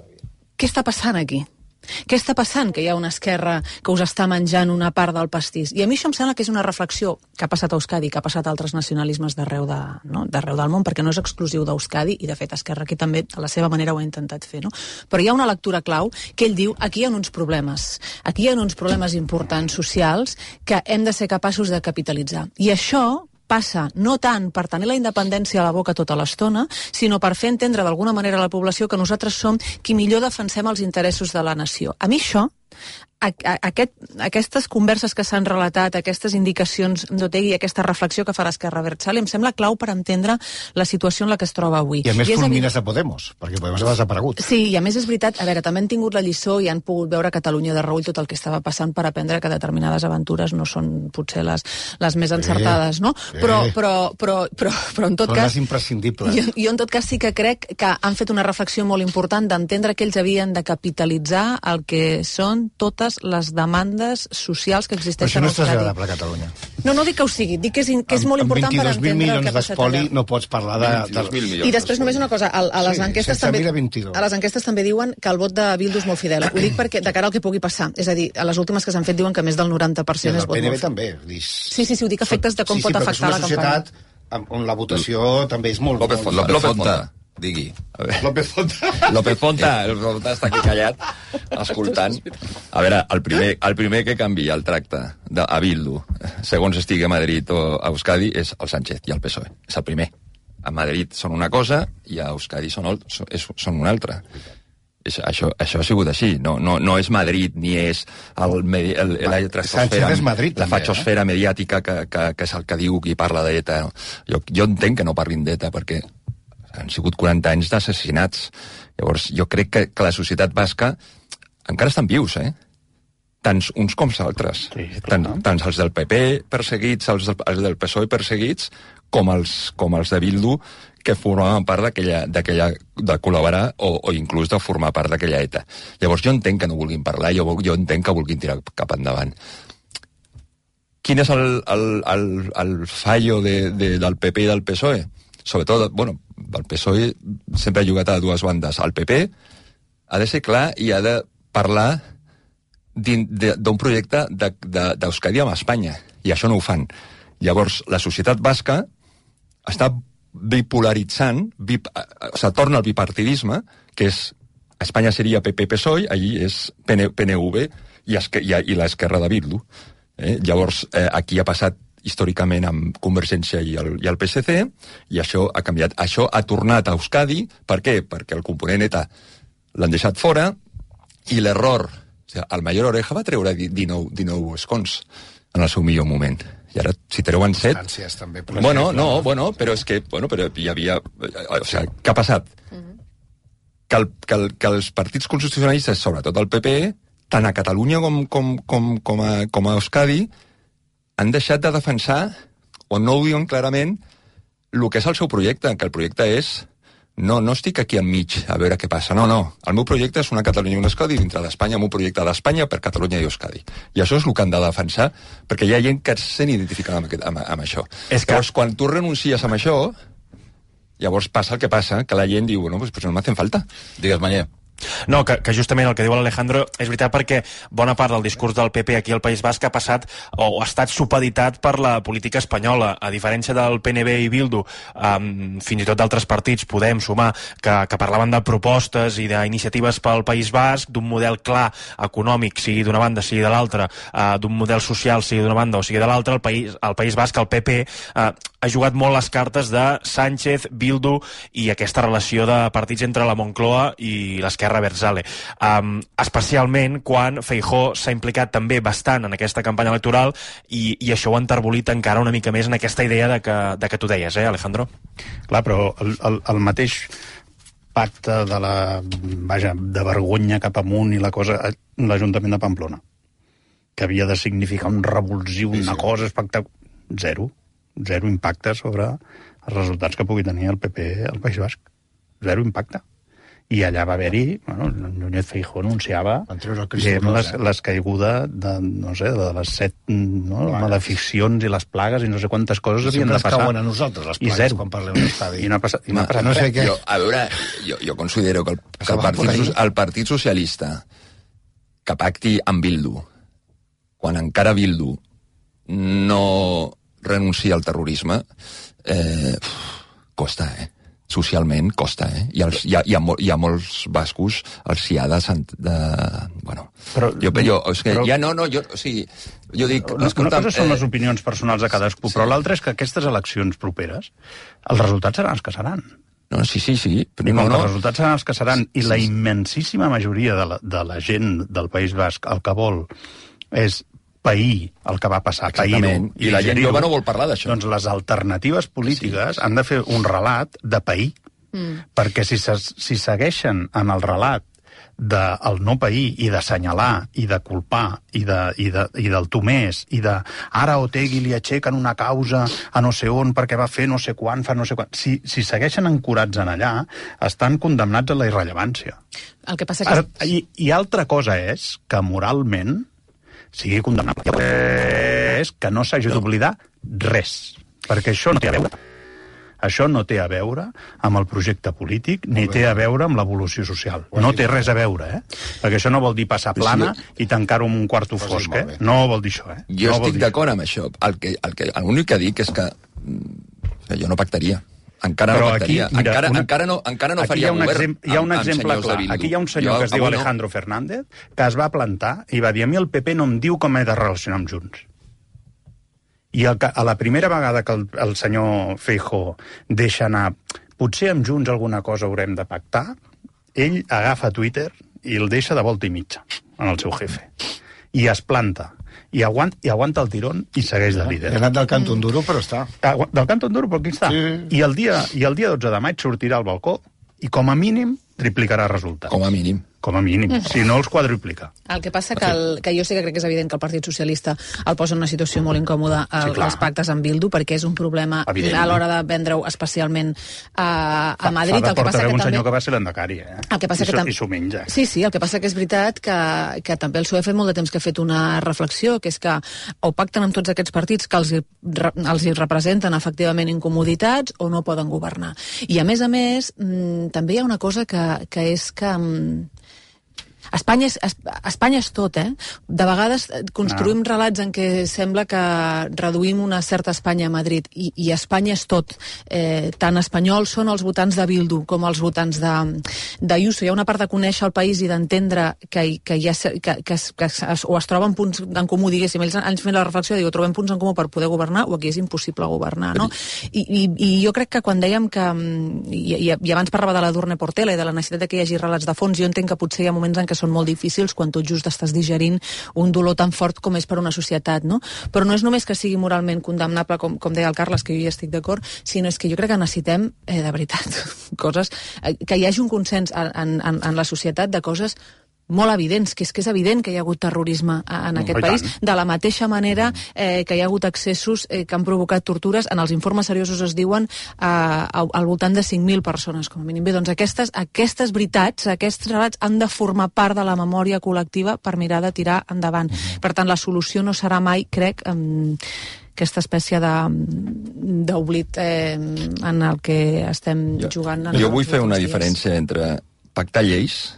què està passant aquí? Què està passant que hi ha una esquerra que us està menjant una part del pastís? I a mi això em sembla que és una reflexió que ha passat a Euskadi, que ha passat a altres nacionalismes d'arreu de, no? d'arreu del món, perquè no és exclusiu d'Euskadi, i de fet Esquerra aquí també a la seva manera ho ha intentat fer. No? Però hi ha una lectura clau que ell diu aquí hi ha uns problemes, aquí hi ha uns problemes importants socials que hem de ser capaços de capitalitzar. I això passa no tant per tenir la independència a la boca tota l'estona, sinó per fer entendre d'alguna manera a la població que nosaltres som qui millor defensem els interessos de la nació. A mi això, a, a, aquest, aquestes converses que s'han relatat, aquestes indicacions d'Otegi, aquesta reflexió que fa l'Esquerra Abertzale, em sembla clau per entendre la situació en la que es troba avui. I a més I fulmines a Podemos, perquè Podemos ha desaparegut. Sí, i a més és veritat, a veure, també han tingut la lliçó i han pogut veure a Catalunya de reull tot el que estava passant per aprendre que determinades aventures no són potser les, les més encertades, no? Sí. Però, però, però, però, però en tot però cas... Però és imprescindible. Jo, jo en tot cas sí que crec que han fet una reflexió molt important d'entendre que ells havien de capitalitzar el que són totes les demandes socials que existeixen a Euskadi. Però això no és agradable a Catalunya. No, no dic que ho sigui, dic que és, que és molt important per entendre el que ha passat allà. No pots parlar de... de... I després només una cosa, a, a, les sí, enquestes també, a les enquestes també diuen que el vot de Bildu és molt fidel. Ho dic perquè de cara al que pugui passar. És a dir, a les últimes que s'han fet diuen que més del noranta per cent és vot molt... I el P N V també. Dis... Sí, sí, sí, ho dic efectes de com sí, pot sí, afectar la campanya. Sí, sí, però és una societat on la votació també és molt... López Fonta. López Fonta. Digui. López Fonta. López Fonta, el Fonta està aquí callat, escoltant. A veure, el primer, el primer que canvia el tracte de, a Bildu, segons estigui a Madrid o a Euskadi, és el Sánchez i el P S O E. És el primer. A Madrid són una cosa i a Euskadi són, el, són una altra. És, això, això ha sigut així, no, no, no és Madrid ni és el, el, el, la Sánchez és Madrid, la també, fachosfera eh? mediàtica que, que, que és el que diu qui parla d'ETA. Jo, jo entenc que no parlin d'ETA perquè han sigut quaranta anys d'assassinats. Llavors jo crec que, que la societat basca encara estan vius, eh? Tant uns com els altres. Sí, tant, tant els del P P perseguits, els del, els del P S O E perseguits, com els, com els de Bildu, que formaven part d'aquella, d'aquella, de col·laborar o, o inclús de formar part d'aquella ETA. Llavors jo entenc que no vulguin parlar, jo, jo entenc que vulguin tirar cap endavant. Quin és el, el, el, el fallo de, de, del P P i del P S O E? Sobretot, bueno, el P S O E sempre ha jugat a dues bandes. El P P ha de ser clar i ha de parlar d'un projecte d'Euskadi amb Espanya, i això no ho fan. Llavors, la societat basca està bipolaritzant, bip, o sigui, torna al bipartidisme, que és, a Espanya seria P P P S O E, allí és P N V i, i, i l'esquerra de Bildu. Eh? Llavors, eh, aquí ha passat històricament amb Convergència i el, i el P S C, i això ha canviat. Això ha tornat a Euskadi, per què? Perquè el component ETA l'han deixat fora, i l'error, o sigui, el Mayor Oreja va treure dinou, dinou escons en el seu millor moment. I ara, si treuen set... També, bueno, no, bueno, però és que, bueno, però hi havia... O sigui, què ha passat? Uh-huh. Que, el, que, el, que els partits constitucionalistes, sobretot el P P, tant a Catalunya com, com, com, com, a, com a Euskadi, han deixat de defensar, o no ho diuen clarament, el que és el seu projecte, que el projecte és... No, no estic aquí enmig a veure què passa. No, no. El meu projecte és una Catalunya i una Euskadi dintre d'Espanya, el meu projecte d'Espanya per Catalunya i Euskadi. I això és el que han de defensar, perquè hi ha gent que se n'identifica amb, amb, amb això. És que... Llavors, quan tu renuncies amb això, llavors passa el que passa, que la gent diu, bueno, pues, pues no m'hacen falta. Digues, Manyer. No, que, que justament el que diu l'Alejandro és veritat, perquè bona part del discurs del P P aquí al País Basc ha passat o ha estat supeditat per la política espanyola, a diferència del P N V i Bildu, um, fins i tot d'altres partits, Podem, Sumar, que, que parlaven de propostes i d'iniciatives pel País Basc, d'un model clar econòmic, sigui d'una banda, sigui de l'altra, uh, d'un model social, sigui d'una banda o sigui de l'altra. El País, el País Basc, el P P, uh, ha jugat molt les cartes de Sánchez, Bildu i aquesta relació de partits entre la Moncloa i l'esquerra Berzale. Um, especialment quan Feijóo s'ha implicat també bastant en aquesta campanya electoral i, i això ho ha enterbolit encara una mica més en aquesta idea de que, de que tu deies, eh, Alejandro? Clar, però el, el, el mateix pacte de la, vaja, de vergonya cap amunt i la cosa, l'Ajuntament de Pamplona, que havia de significar un revulsiu, una sí, sí. cosa espectacular, zero. Zero impacte sobre els resultats que pugui tenir el P P al País Basc. Zero impacte. I allà va haver-hi, bueno, Núñez Feijóo anunciava diguem, les, les caigudes de, no sé, de les set no, malediccions i les plagues i no sé quantes coses havien de passar. Sempre ens cauen a nosaltres, les plagues, zero. quan parlem d'estadi. I no ha passat, i no ha passat no sé què. Jo, a veure, jo, jo considero que, el, que el, partit, el Partit Socialista que pacti amb Bildu, quan encara Bildu no renuncia al terrorisme, eh, costa, eh? Socialment costa, eh? I, els, hi, ha, hi, ha, hi ha molts bascos els hi ha de... de bueno, però, jo, jo, és que però, ja no, no, jo, o sigui, jo dic... Una, una cosa són eh, les opinions personals de cadascú, sí. Però l'altra és que aquestes eleccions properes, els resultats seran els que seran. No, sí, sí, sí. Però I no, no. Els resultats seran els que seran, i sí, la immensíssima majoria de la, de la gent del País Basc el que vol és pair el que va passar, pair-ho. I, I la gent jove no vol parlar d'això. Doncs les alternatives polítiques sí, sí. han de fer un relat de pair, mm. perquè si, se, si segueixen en el relat del no pair i d'assenyalar i de culpar i, de, i, de, i del tu més i de ara Otegi li aixequen una causa a no sé on perquè va fer no sé quan, fa no sé quan... Si, si segueixen ancorats en allà, estan condemnats a la irrellevància. El que passa que... Ara, i, I altra cosa és que moralment sigui condemnable. És que no s'hagi d'oblidar res, perquè això no té a veure. Això no té a veure amb el projecte polític, ni té a veure amb l'evolució social. No té res a veure, eh? Perquè això no vol dir passar plana i tancar-ho en un quarto fosc, eh? No vol dir això, eh? Jo estic d'acord amb això. El que, el que, l'únic que dic és que, que jo no pactaria. Encara Però no pactaria. Aquí, mira, encara, una... encara, no, encara no faria govern exemple, hi ha un amb, exemple amb clar. Aquí hi ha un senyor jo, que es diu Alejandro no. Fernández, que es va plantar i va dir, a mi el P P no em diu com he de relacionar amb Junts. I el, a la primera vegada que el, el senyor Feijóo deixa anar, potser amb Junts alguna cosa haurem de pactar, ell agafa Twitter i el deixa de volta i mitja en el seu jefe. I es planta. I aguanta, i aguanta el tirón i segueix de líder. Ha anat del Canton Duro, però està. Agu del Canton Duro, però aquí està. Sí. I el dia, i el dia dotze de maig sortirà al balcó i com a mínim triplicarà resultats. Com a mínim. Com a mínim, si no els quadruplica. El que passa que, el, que jo sí que crec que és evident que el Partit Socialista el posa en una situació molt incòmoda el, sí, els pactes amb Bildu, perquè és un problema evident, a l'hora de vendre-ho especialment a, a Madrid. Fa, fa el que passa que un també... senyor que va ser l'endecari, eh? El que passa I, que tam... I s'ho menja. Sí, sí, el que passa que és veritat que, que també el P S O E ha fet molt de temps que ha fet una reflexió, que és que o pacten amb tots aquests partits que els, els hi representen efectivament incomoditats o no poden governar. I a més a més, mmm, també hi ha una cosa que, que és que... Mmm, Espanya és, Espanya és tot, eh? De vegades construïm no. relats en què sembla que reduïm una certa Espanya a Madrid, i, i Espanya és tot. Eh, tant espanyols són els votants de Bildu com els votants de, de Ayuso. Hi ha una part de conèixer el país i d'entendre que, que, hi ha, que, que, es, que es, o es troben punts en comú, diguéssim. Ells han fet la reflexió, diu, trobem punts en comú per poder governar o aquí és impossible governar, no? I, i, i jo crec que quan dèiem que... I, i, i abans parlava de la Durne Portela i de la necessitat que hi hagi relats de fons, jo entenc que potser hi ha moments en què són molt difícils quan tot just estàs digerint un dolor tan fort com és per una societat, no? Però no és només que sigui moralment condemnable, com, com deia el Carles, que jo hi estic d'acord, sinó és que jo crec que necessitem, eh, de veritat, coses... Eh, que hi hagi un consens en, en, en la societat de coses molt evidents, que és que és evident que hi ha hagut terrorisme en aquest país, de la mateixa manera eh, que hi ha hagut accessos eh, que han provocat tortures. En els informes seriosos es diuen eh, al voltant de cinc mil persones, com a mínim. Bé, doncs aquestes, aquestes veritats, aquests relats han de formar part de la memòria col·lectiva per mirar de tirar endavant. Per tant, la solució no serà mai, crec, eh, aquesta espècie d'oblit eh, en el que estem jo, jugant. Jo vull fer una dies. diferència entre pactar lleis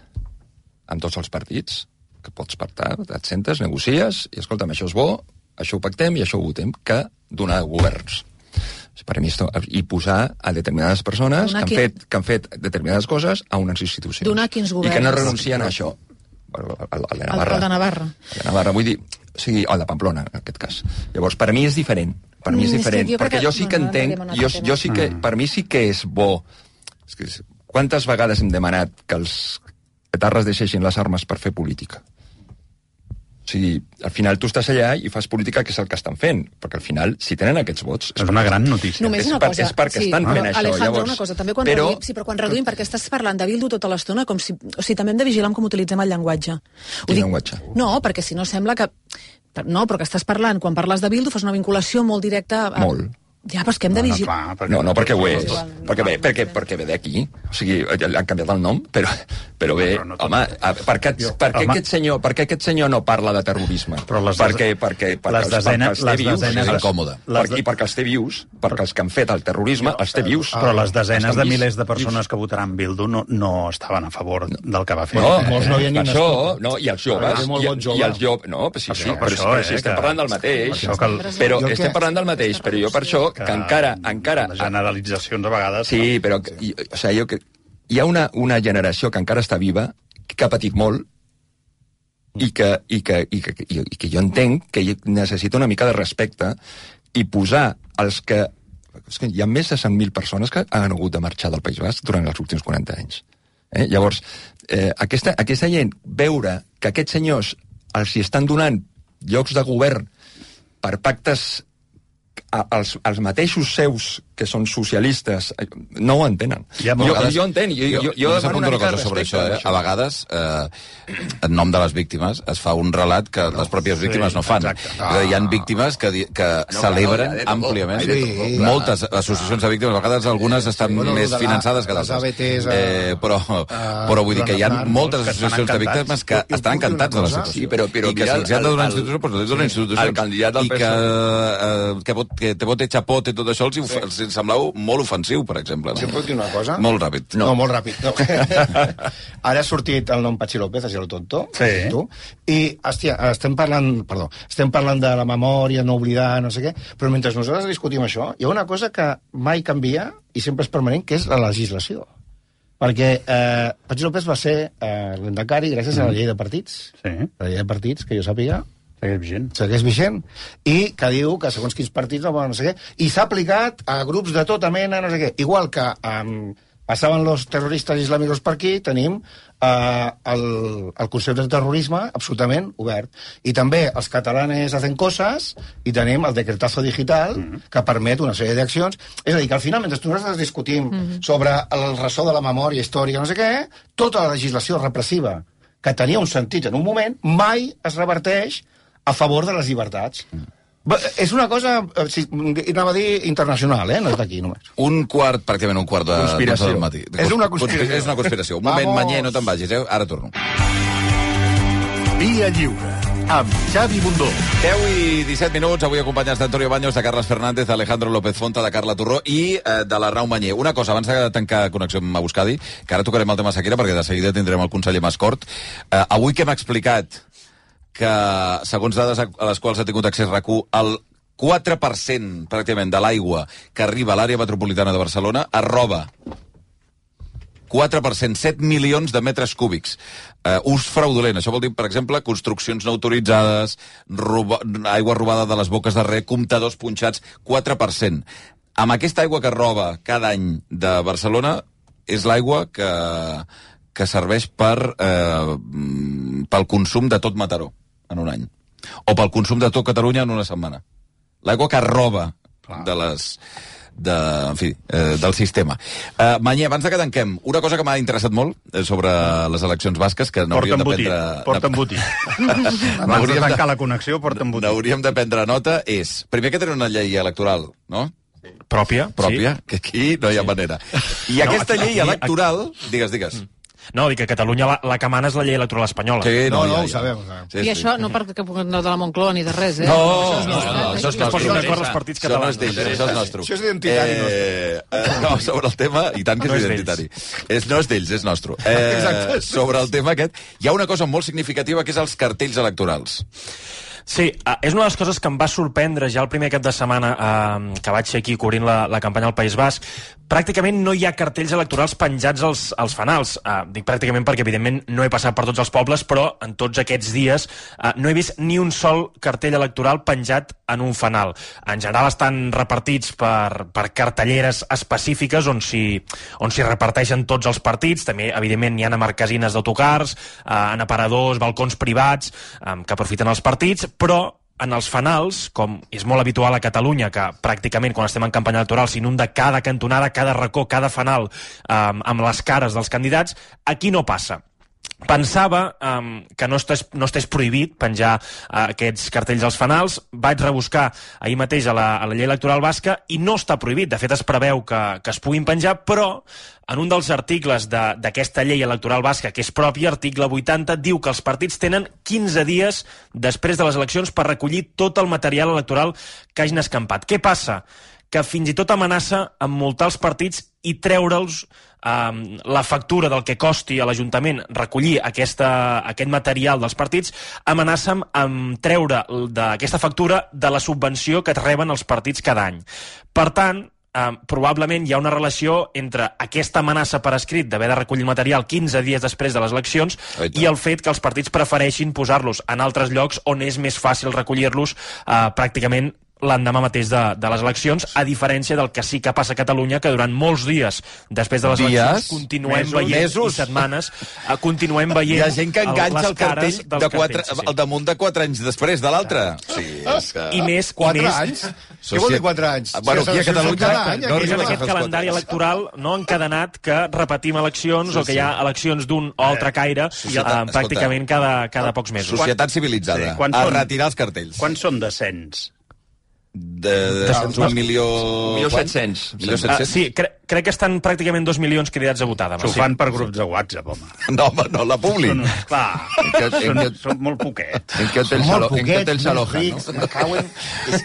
amb tots els partits, que pots pactar, et sentes, negocies, i escolta'm, això és bo, això ho pactem i això ho votem, que donar governs. Per mi, i posar a determinades persones que han, qui... fet, que han fet determinades coses a unes institucions. Donar quins governs. I que no renuncien a això. El, el, el de Navarra. El de Navarra. El de Navarra, vull dir, o sigui, el de Pamplona, en aquest cas. Llavors, per mi és diferent. Per mi és diferent, mm, perquè jo sí que entenc, jo, jo sí que, per mi sí que és bo. És que, quantes vegades hem demanat que els etarres deixessin les armes per fer política? O sigui, al final tu estàs allà i fas política, que és el que estan fent, perquè al final, si tenen aquests vots... És una gran notícia. Només una és, per, cosa. és perquè sí, estan però, fent això. Alejandro, Llavors, una cosa, també quan però... reduïm, sí, però quan reduïm, perquè estàs parlant de Bildu tota l'estona, com si... O sigui, també hem de vigilar com utilitzem el llenguatge. Quin llenguatge? No, perquè si no sembla que... No, però que estàs parlant, quan parles de Bildu, fas una vinculació molt directa... A... Molt. Ja, però és que hem de vigilar... No, perquè... no, no perquè ho és. Perquè ve, perquè, perquè ve d'aquí. O sigui, han canviat el nom, però, però bé... No, home, per què, per, què aquest senyor, per què aquest senyor no parla de terrorisme? Però les perquè, perquè, perquè, les desenes, perquè els té vius, les és incòmode. Les de... I perquè els té vius, perquè els que han fet el terrorisme els té vius. Però les desenes de milers de persones que votaran Bildu no, no estaven a favor del que va fer. No, molts no hi ha ni això, no, i els joves, i, i els joves... No, però sí, sí, però si estem parlant del mateix. Però estem parlant del mateix, però jo per això, que encara encara... Les generalitzacions a vegades... Sí, però i, o sigui, jo, que, hi ha una, una generació que encara està viva, que ha patit molt, i que, i que, i que, i, i que jo entenc que necessita una mica de respecte i posar els que... És que hi ha més de cent mil persones que han hagut de marxar del País Basc durant els últims quaranta anys. Eh? Llavors, eh, aquesta, aquesta gent, veure que aquests senyors els hi estan donant llocs de govern per pactes als, als mateixos seus que són socialistes, no ho entenen. Ja, jo, vegades, jo entenc. Jo, jo, jo, jo demano una, una cosa sobre això. Eh? A vegades, eh, en nom de les víctimes, es fa un relat que les pròpies víctimes sí, no fan. Ah. Hi ha víctimes que, que no, celebren no, àmpliament. Sí, moltes associacions de víctimes, a vegades algunes estan sí, bueno, més finançades que d'altres. Eh, però, però vull dir que hi ha moltes associacions de víctimes que estan encantats de la situació. Sí, però, però I que se'ls ha de donar institucions, doncs els donen institucions. El candidat del P S O E. I que, que te vote chapote, tot això els, sí. els semblava molt ofensiu, per exemple. No? Si puc dir una cosa? Molt ràpid. No, no molt ràpid. No. Ara ha sortit el nom Patxi López, a lo tonto, sí. tu, i, hòstia, estem parlant, perdó, estem parlant de la memòria, no oblidar, no sé què, però mentre nosaltres discutim això, hi ha una cosa que mai canvia i sempre és permanent, que és la legislació. Perquè eh, Patxi López va ser eh, l'endecari gràcies mm. a la llei de partits. Sí. La llei de partits, que jo sàpiga, segueix vigent. Segueix vigent. I que diu que segons quins partits no poden no sé què. I s'ha aplicat a grups de tota mena, no sé què. Igual que um, passaven los terroristes islàmicos per aquí, tenim eh, el, el concepte de terrorisme absolutament obert. I també els catalanes hacen coses i tenim el decretazo digital mm-hmm. que permet una sèrie d'accions. És a dir, que al final, mentre nosaltres discutim mm-hmm. sobre el ressò de la memòria històrica, no sé què, tota la legislació repressiva que tenia un sentit en un moment, mai es reverteix a favor de les llibertats. Mm. És una cosa, si, anava a dir, internacional, eh? No és d'aquí només. Un quart, pràcticament un quart de... Conspiració. Del matí. És una conspiració. És una conspiració. Un moment, Manyer, no te'n vagis, eh? Ara torno. Via Lliure, amb Xavi Bundó. deu i disset minuts, avui acompanyats d'Antonio Baños, de Carles Fernández, d'Alejandro López Fonta, de Carla Torró i eh, de l'Arnau Manyer. Una cosa, abans de tancar connexió amb Euskadi, que ara tocarem el tema sequera, perquè de seguida tindrem el conseller Mascort. Eh, avui que hem explicat que, segons dades a les quals ha tingut accés RAC u, el quatre per cent, pràcticament, de l'aigua que arriba a l'àrea metropolitana de Barcelona es roba. quatre per cent, set milions de metres cúbics. Uh, ús fraudulent. Això vol dir, per exemple, construccions no autoritzades, roba, aigua robada de les boques de rec, comptadors punxats, quatre per cent. Amb aquesta aigua que roba cada any de Barcelona, és l'aigua que, que serveix per, eh, pel consum de tot Mataró en un any. O pel consum de tot Catalunya en una setmana. L'aigua que roba de les... De, en fi, eh, del sistema. Uh, Manyer, abans de que tanquem, una cosa que m'ha interessat molt eh, sobre les eleccions basques, que n'hauríem de prendre... Porta embotit. Abans de tancar la connexió, porta embotit. N'hauríem de prendre nota, és... Primer que tenen una llei electoral, no? Pròpia. Pròpia, sí. Que aquí no hi ha sí. manera. I no, aquesta llei aquí, electoral... Aquí... Digues, digues. Mm. No, dic que a Catalunya la, la que mana és la llei electoral espanyola. Sí, no, no, ja, no, ho ja. sabem. Ho sabem. Sí, I sí. això no perquè no de la Moncloa ni de res, eh? No, això és no, nostre, no, no, eh? això és nostre. nostre. Això els partits catalans. Això no és això és nostre. Això és identitari nostre. Eh, eh, no, sobre el tema, i tant que No és és identitari. És, no és d'ells, és nostre. Eh, Exacte. sobre el tema aquest, hi ha una cosa molt significativa que és els cartells electorals. Sí, uh, és una de les coses que em va sorprendre ja el primer cap de setmana uh, que vaig ser aquí cobrint la, la campanya al País Basc. Pràcticament no hi ha cartells electorals penjats als, als fanals. Uh, dic pràcticament perquè, evidentment, no he passat per tots els pobles, però en tots aquests dies uh, no he vist ni un sol cartell electoral penjat en un fanal. En general estan repartits per, per cartelleres específiques on s'hi on s'hi reparteixen tots els partits. També, evidentment, hi ha a marquesines d'autocars, uh, en aparadors, balcons privats, um, que aprofiten els partits, però en els fanals, com és molt habitual a Catalunya, que pràcticament quan estem en campanya electoral s'inunda cada cantonada, cada racó, cada fanal um, amb les cares dels candidats, aquí no passa. Pensava um, que no estés, no estés prohibit penjar uh, aquests cartells als fanals. Vaig rebuscar ahir mateix a la, a la llei electoral basca i no està prohibit. De fet, es preveu que, que es puguin penjar, però en un dels articles d'aquesta llei electoral basca, que és pròpia, article vuitanta, diu que els partits tenen quinze dies després de les eleccions per recollir tot el material electoral que hagin escampat. Què passa? Que fins i tot amenaça amb multar els partits i treure'ls um, la factura del que costi a l'Ajuntament recollir aquesta, aquest material dels partits, amenaça amb, amb treure d'aquesta factura de la subvenció que reben els partits cada any. Per tant, um, probablement hi ha una relació entre aquesta amenaça per escrit d'haver de recollir el material quinze dies després de les eleccions i el fet que els partits prefereixin posar-los en altres llocs on és més fàcil recollir-los uh, pràcticament l'endemà mateix de, de les eleccions, a diferència del que sí que passa a Catalunya, que durant molts dies després de les dies, eleccions continuem mesos, veient, mesos. i setmanes, uh, continuem veient... Hi ha gent que enganxa el, el cartell de quatre, cartells, sí. al damunt de quatre anys després de l'altre. Sí, és que... I més... Quatre i més... anys? Què vol dir quatre anys? Bueno, aquí a Catalunya... Any, no és en aquest calendari electoral no encadenat que repetim eleccions sí, o que hi ha eleccions d'un o altre caire Societat, uh, pràcticament cada, cada pocs mesos. Societat civilitzada. Sí, a són, retirar els cartells. Quants són de cens? De, de, de un milió... Milió set-cents. Milió Uh, set-cents? sí, cre crec que estan pràcticament dos milions cridats a votar demà. S'ho Sí. fan per grups de WhatsApp, home. No, home, no, la Publi. Són, clar, són, són molt poquets. En què hotel s'aloja, no? Cauen...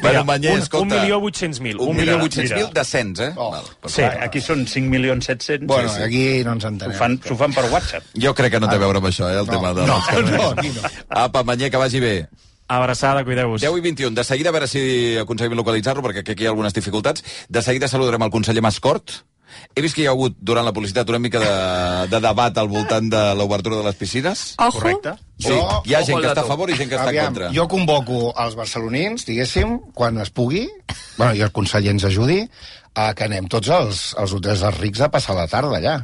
Bueno, Manyer, un, escolta... un milió vuit-cents mil. Un milió vuit-cents mil de cens, eh? Oh. Val, Sí. Clar, aquí són cinc milions set-cents. Bueno, sí, sí. aquí no ens entenem. S'ho fan, s'ho fan per WhatsApp. Jo crec que no té a veure amb això, eh, el No, tema de... no, dels cartells. no, aquí no. Apa, Manyer, que vagi bé. Abraçada, cuideu-vos. deu i vint-i-un. De seguida, a veure si aconseguim localitzar-lo, perquè aquí hi ha algunes dificultats. De seguida saludarem el conseller Mascort. He vist que hi ha hagut, durant la publicitat, una mica de, de debat al voltant de l'obertura de les piscines. Ojo. Correcte. Sí, hi ha gent que està a favor i gent que està en Aviam, contra. jo convoco els barcelonins, diguéssim, quan es pugui, bueno, i el conseller ens ajudi, uh, que anem tots els, els hotels dels rics a passar la tarda allà.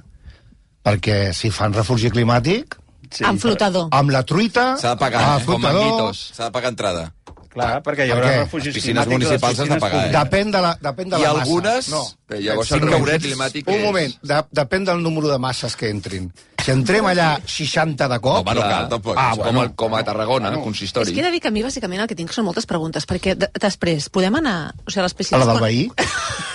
Perquè si fan refugi climàtic... Sí, amb flotador. Amb la truita... S'ha de pagar, eh? Com manguitos. S'ha de pagar entrada. Clar, perquè hi haurà refugis piscines municipals has de pagar, eh? Depèn de la, depèn de I la massa. algunes... No. Llavors el refugí climàtic Un moment, de, depèn del número de masses que entrin. Si entrem allà seixanta de cop... Home, no cal, tampoc. Ah, com, bueno, a, com a Tarragona, bueno. consistori. És que he de dir que a mi, bàsicament, el que tinc són moltes preguntes, perquè de, després, podem anar... O sigui, a les piscines... A la del quan... veí?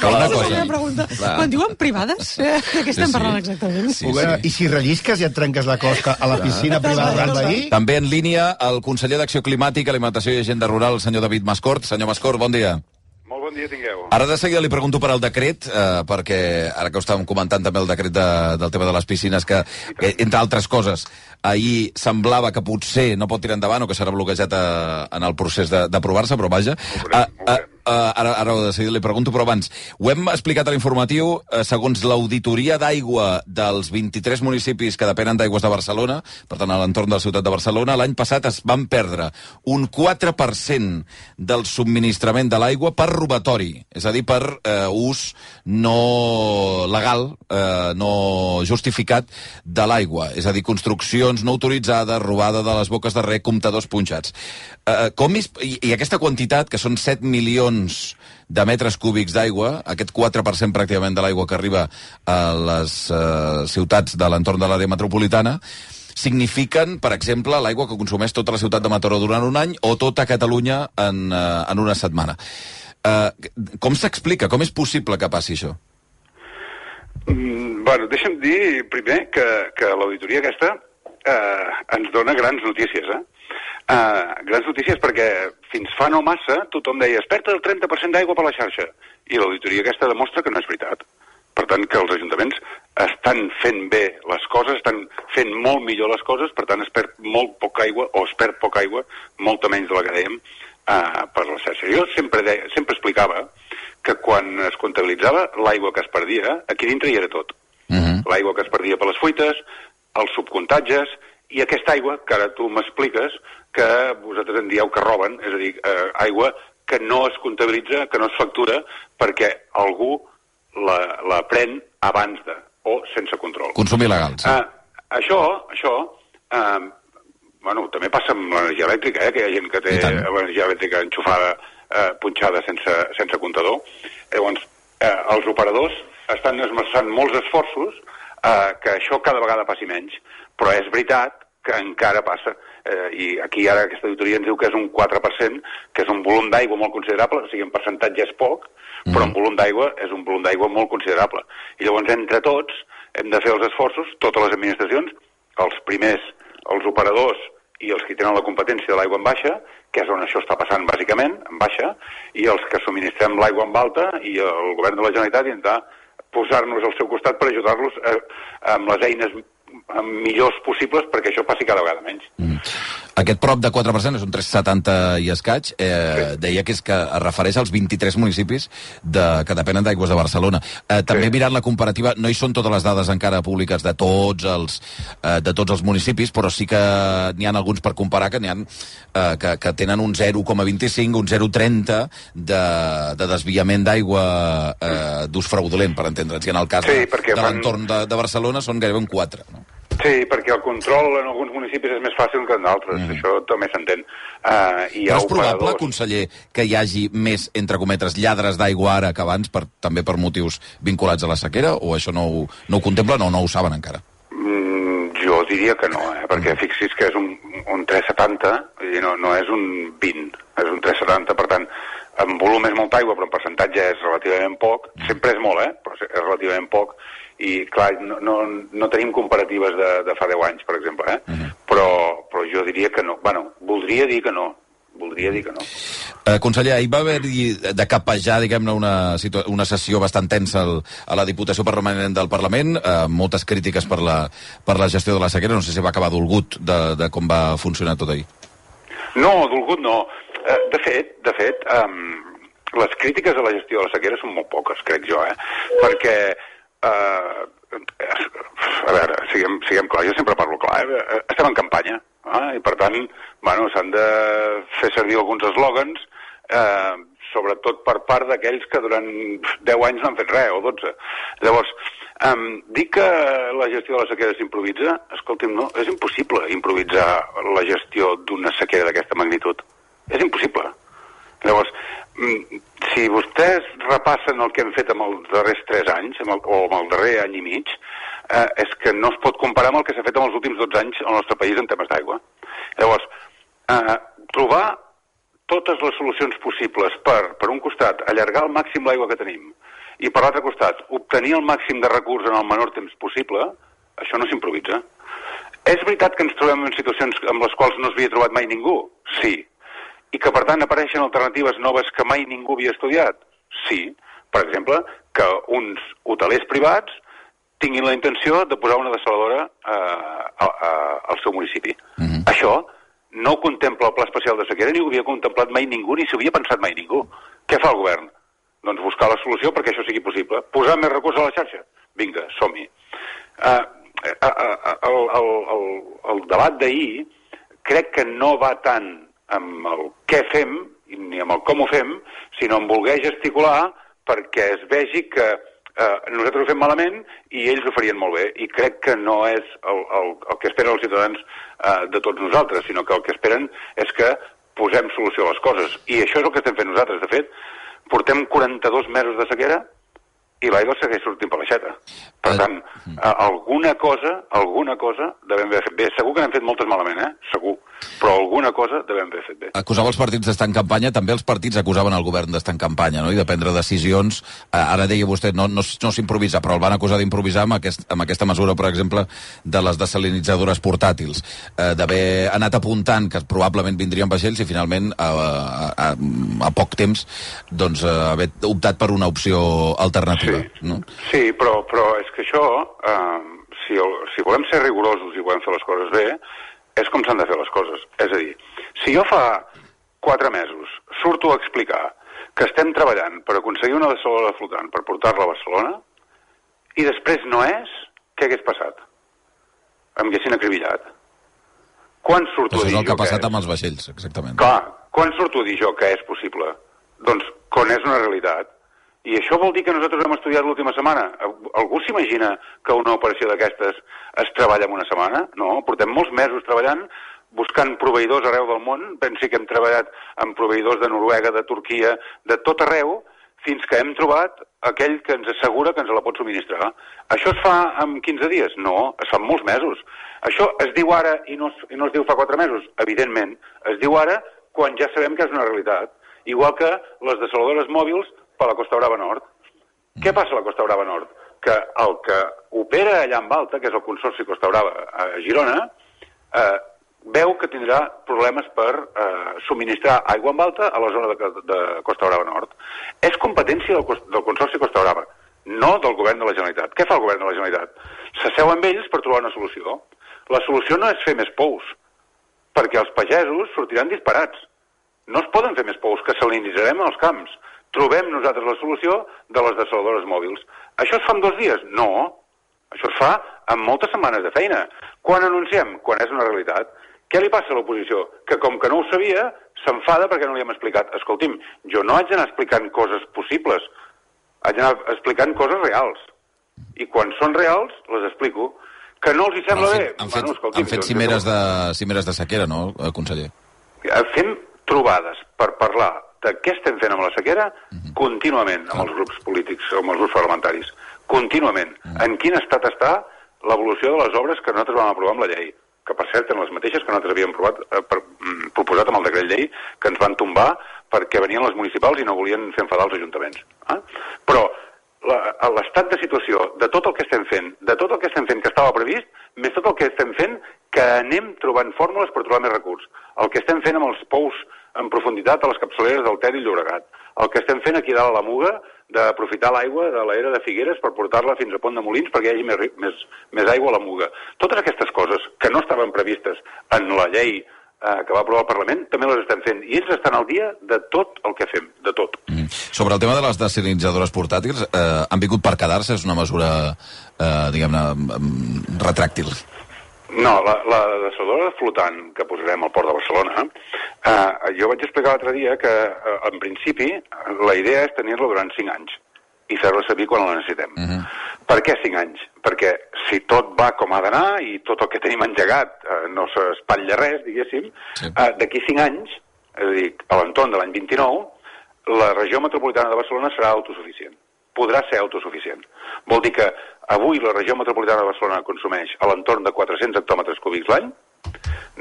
Cal una cosa. cosa. Pregunta. Quan diuen privades, eh, de què estem Sí, sí. parlant exactament? Sí, sí. I si rellisques i et trenques la closca a la piscina privada del veí? També en línia el conseller d'Acció Climàtica, Alimentació i Agenda Rural, el senyor David Mascort. Senyor Mascort, bon dia. Molt bon dia tingueu. Ara de seguida li pregunto per al decret, eh, perquè ara que ho estàvem comentant també el decret de, del tema de les piscines, que, que entre altres coses, ahir semblava que potser no pot tirar endavant o que serà bloquejat a, en el procés d'aprovar-se, però vaja. A, a, a, ara, ara de seguida li pregunto, però abans, ho hem explicat a l'informatiu, eh, segons l'auditoria d'aigua dels vint-i-tres municipis que depenen d'Aigües de Barcelona, per tant a l'entorn de la ciutat de Barcelona, l'any passat es van perdre un quatre per cent del subministrament de l'aigua per robatori, és a dir, per eh, ús no legal, eh, no justificat de l'aigua, és a dir, construccions no autoritzades, robada de les boques de rec, comptadors punxats. Eh, com és, i, I aquesta quantitat, que són set milions de metres cúbics d'aigua, aquest quatre per cent pràcticament de l'aigua que arriba a les eh, ciutats de l'entorn de l'àrea metropolitana, signifiquen, per exemple, l'aigua que consumeix tota la ciutat de Mataró durant un any o tota Catalunya en, uh, en una setmana. Uh, com s'explica? Com és possible que passi això? Mm, bueno, deixa'm dir primer que, que l'auditoria aquesta eh, ens dona grans notícies, eh? Uh, grans notícies perquè fins fa no massa tothom deia es perd el trenta per cent d'aigua per la xarxa i l'auditoria aquesta demostra que no és veritat. Per tant, que els ajuntaments estan fent bé les coses, estan fent molt millor les coses, per tant es perd molt poca aigua, o es perd poca aigua, molta menys de la que dèiem, uh, per la xarxa. Jo sempre, deia, sempre explicava que quan es comptabilitzava l'aigua que es perdia, aquí dintre hi era tot. Uh-huh. L'aigua que es perdia per les fuites, els subcomptatges, i aquesta aigua, que ara tu m'expliques, que vosaltres en dieu que roben, és a dir, eh, aigua que no es comptabilitza, que no es factura, perquè algú la, la pren abans de, o sense control. Consum il·legal, sí. Uh, això, això, uh, bueno, també passa amb l'energia elèctrica, eh, que hi ha gent que té l'energia elèctrica enxufada, uh, punxada sense, sense comptador. Llavors, uh, els operadors estan esmerçant molts esforços uh, que això cada vegada passi menys, però és veritat que encara passa. Eh, I aquí ara aquesta auditoria ens diu que és un quatre per cent, que és un volum d'aigua molt considerable, o sigui, en percentatge és poc, mm. però en volum d'aigua és un volum d'aigua molt considerable. I llavors, entre tots, hem de fer els esforços, totes les administracions, els primers, els operadors i els que tenen la competència de l'aigua en baixa, que és on això està passant bàsicament, en baixa, i els que subministrem l'aigua en alta i el govern de la Generalitat intentar posar-nos al seu costat per ajudar-los eh, amb les eines millors possibles perquè això passi cada vegada menys. Mm. Aquest prop de quatre per cent, és un tres coma setanta i escaig, eh, sí. deia que és que es refereix als vint-i-tres municipis de, que depenen d'Aigües de Barcelona. Eh, també sí. Mirant la comparativa, no hi són totes les dades encara públiques de tots els, eh, de tots els municipis, però sí que n'hi ha alguns per comparar que n'hi ha eh, que, que tenen un zero coma vint-i-cinc, un zero coma trenta de, de desviament d'aigua eh, d'ús fraudulent, per entendre'ns. I en el cas sí, de, de l'entorn de, de Barcelona són gairebé un quatre, no? Sí, perquè el control en alguns municipis és més fàcil que en d'altres, mm. això també s'entén. Uh, Però és probable, conseller, que hi hagi més, entre cometes, lladres d'aigua ara que abans, per, també per motius vinculats a la sequera, o això no ho, no ho contemplen o no ho saben encara? Mm, jo diria que no, eh? perquè fixis que és un, un tres coma setanta, i no, no és un vint, és un tres coma setanta, per tant, en volum és molta aigua, però en percentatge és relativament poc, sempre és molt, eh? però és relativament poc, i clar, no, no, no tenim comparatives de, de fa deu anys, per exemple, eh? Uh -huh. però, però jo diria que no. Bueno, voldria dir que no. Voldria dir que no. Eh, conseller, ahir va haver-hi de capejar, diguem-ne, una, una sessió bastant tensa al, a la Diputació Permanent del Parlament, eh, moltes crítiques per la, per la gestió de la sequera. No sé si va acabar dolgut de, de com va funcionar tot ahir. No, dolgut no. Eh, de fet, de fet, um, les crítiques a la gestió de la sequera són molt poques, crec jo, eh? Perquè Uh, a veure, siguem, siguem clar, jo sempre parlo clar, eh? Estem en campanya, eh? I per tant, bueno, s'han de fer servir alguns eslògans, eh, sobretot per part d'aquells que durant deu anys no han fet res, o dotze. Llavors, um, dir que la gestió de la sequera s'improvisa, escolti'm, no, és impossible improvisar la gestió d'una sequera d'aquesta magnitud. És impossible. Llavors, si vostès repassen el que hem fet amb els darrers tres anys, amb el, o amb el darrer any i mig, eh, és que no es pot comparar amb el que s'ha fet en els últims dotze anys al nostre país en temes d'aigua. Llavors, eh, trobar totes les solucions possibles per, per un costat, allargar al màxim l'aigua que tenim, i per l'altre costat, obtenir el màxim de recurs en el menor temps possible, això no s'improvisa. És veritat que ens trobem en situacions amb les quals no s'havia trobat mai ningú? Sí. I que, per tant, apareixen alternatives noves que mai ningú havia estudiat? Sí. Per exemple, que uns hotelers privats tinguin la intenció de posar una dessaladora eh, a, a, al seu municipi. Mm-hmm. Això no ho contempla el Pla Especial de Sequera, ni ho havia contemplat mai ningú, ni s'ho havia pensat mai ningú. Què fa el govern? Doncs buscar la solució perquè això sigui possible. Posar més recursos a la xarxa? Vinga, som-hi. Eh, eh, eh, el, el, el, el debat d'ahir crec que no va tant amb el què fem, ni amb el com ho fem, sinó en voler gesticular perquè es vegi que eh, nosaltres ho fem malament i ells ho farien molt bé. I crec que no és el, el, el que esperen els ciutadans eh, de tots nosaltres, sinó que el que esperen és que posem solució a les coses. I això és el que estem fent nosaltres. De fet, portem quaranta-dos mesos de sequera i l'aigua segueix sortint per l'aixeta. Per tant, alguna cosa, alguna cosa devem haver fet bé. Segur que n'hem fet moltes malament, eh? Segur. Però alguna cosa devem haver fet bé. Acusava els partits d'estar en campanya, també els partits acusaven el govern d'estar en campanya, no? I de prendre decisions. Ara deia vostè, no, no, no s'improvisa, però el van acusar d'improvisar amb, aquest, amb aquesta mesura, per exemple, de les desalinitzadores portàtils, eh, d'haver anat apuntant que probablement vindrien vaixells i finalment, a, a, a, a poc temps, doncs, haver optat per una opció alternativa. Sí, no? Sí, però, però és que això, eh, si, el, si volem ser rigorosos i volem fer les coses bé, és com s'han de fer les coses. És a dir, si jo fa quatre mesos surto a explicar que estem treballant per aconseguir una dessaladora flotant per portar-la a Barcelona i després no és, què hagués passat? Em haguessin acribillat. Quan surto a dir jo que és? Això és el que ha passat amb els vaixells, exactament. Clar, quan surto a dir jo que és possible? Doncs quan és una realitat. I això vol dir que nosaltres hem estudiat l'última setmana. Algú s'imagina que una operació d'aquestes es treballa en una setmana? No, portem molts mesos treballant, buscant proveïdors arreu del món. Pensi que hem treballat amb proveïdors de Noruega, de Turquia, de tot arreu, fins que hem trobat aquell que ens assegura que ens la pot subministrar. Això es fa en quinze dies? No, es fa en molts mesos. Això es diu ara i no, i no es diu fa quatre mesos? Evidentment. Es diu ara quan ja sabem que és una realitat. Igual que les dessaladores mòbils per la Costa Brava Nord. Què passa a la Costa Brava Nord? Que el que opera allà en Alta, que és el Consorci Costa Brava a Girona, eh, veu que tindrà problemes per eh, subministrar aigua en alta a la zona de, de Costa Brava Nord. És competència del, del Consorci Costa Brava, no del govern de la Generalitat. Què fa el govern de la Generalitat? S'asseu amb ells per trobar una solució. La solució no és fer més pous, perquè els pagesos sortiran disparats. No es poden fer més pous, que salinitzarem els camps. Trobem nosaltres la solució de les dessaladores mòbils. Això es fa en dos dies? No. Això es fa en moltes setmanes de feina. Quan anunciem? Quan és una realitat. Què li passa a l'oposició? Que com que no ho sabia, s'enfada perquè no li hem explicat. Escolti'm, jo no haig d'anar explicant coses possibles. Haig d'anar explicant coses reals. I quan són reals, les explico. Que no els hi sembla bé? Han fet, bueno, han fet cimeres, de, cimeres de sequera, no, conseller? Fem trobades per parlar de què estem fent amb la sequera uh-huh. contínuament amb els grups polítics, amb els grups parlamentaris. Contínuament. Uh-huh. En quin estat està l'evolució de les obres que nosaltres vam aprovar amb la llei? Que, per cert, eren les mateixes que nosaltres havíem provat, eh, per, mm, proposat amb el decret llei, que ens van tombar perquè venien les municipals i no volien fer enfadar els ajuntaments. Eh? Però l'estat de situació de tot el que estem fent, de tot el que estem fent que estava previst, més tot el que estem fent que anem trobant fórmules per trobar més recursos. El que estem fent amb els pous en profunditat a les capçaleres del Ter i Llobregat. El que estem fent aquí dalt a la Muga, d'aprofitar l'aigua de l'era de Figueres per portar-la fins a Pont de Molins perquè hi hagi més, més, més aigua a la Muga. Totes aquestes coses que no estaven previstes en la llei eh, que va aprovar el Parlament, també les estem fent. I ells estan al dia de tot el que fem, de tot. Mm. Sobre el tema de les desalinitzadores portàtils, eh, han vingut per quedar-se? És una mesura, eh, diguem-ne, retràctil? No, la, la dessaladora flotant que posarem al port de Barcelona, eh, jo vaig explicar l'altre dia que, eh, en principi, la idea és tenir-la durant cinc anys i fer-la servir quan la necessitem. Uh-huh. Per què cinc anys? Perquè si tot va com ha d'anar i tot el que tenim engegat eh, no s'espatlla res, diguéssim, sí. eh, d'aquí cinc anys, és a dir, a l'entorn de l'any vint-i-nou, la regió metropolitana de Barcelona serà autosuficient. Podrà ser autosuficient. Vol dir que avui la regió metropolitana de Barcelona consumeix a l'entorn de quatre-cents hectòmetres cúbics l'any,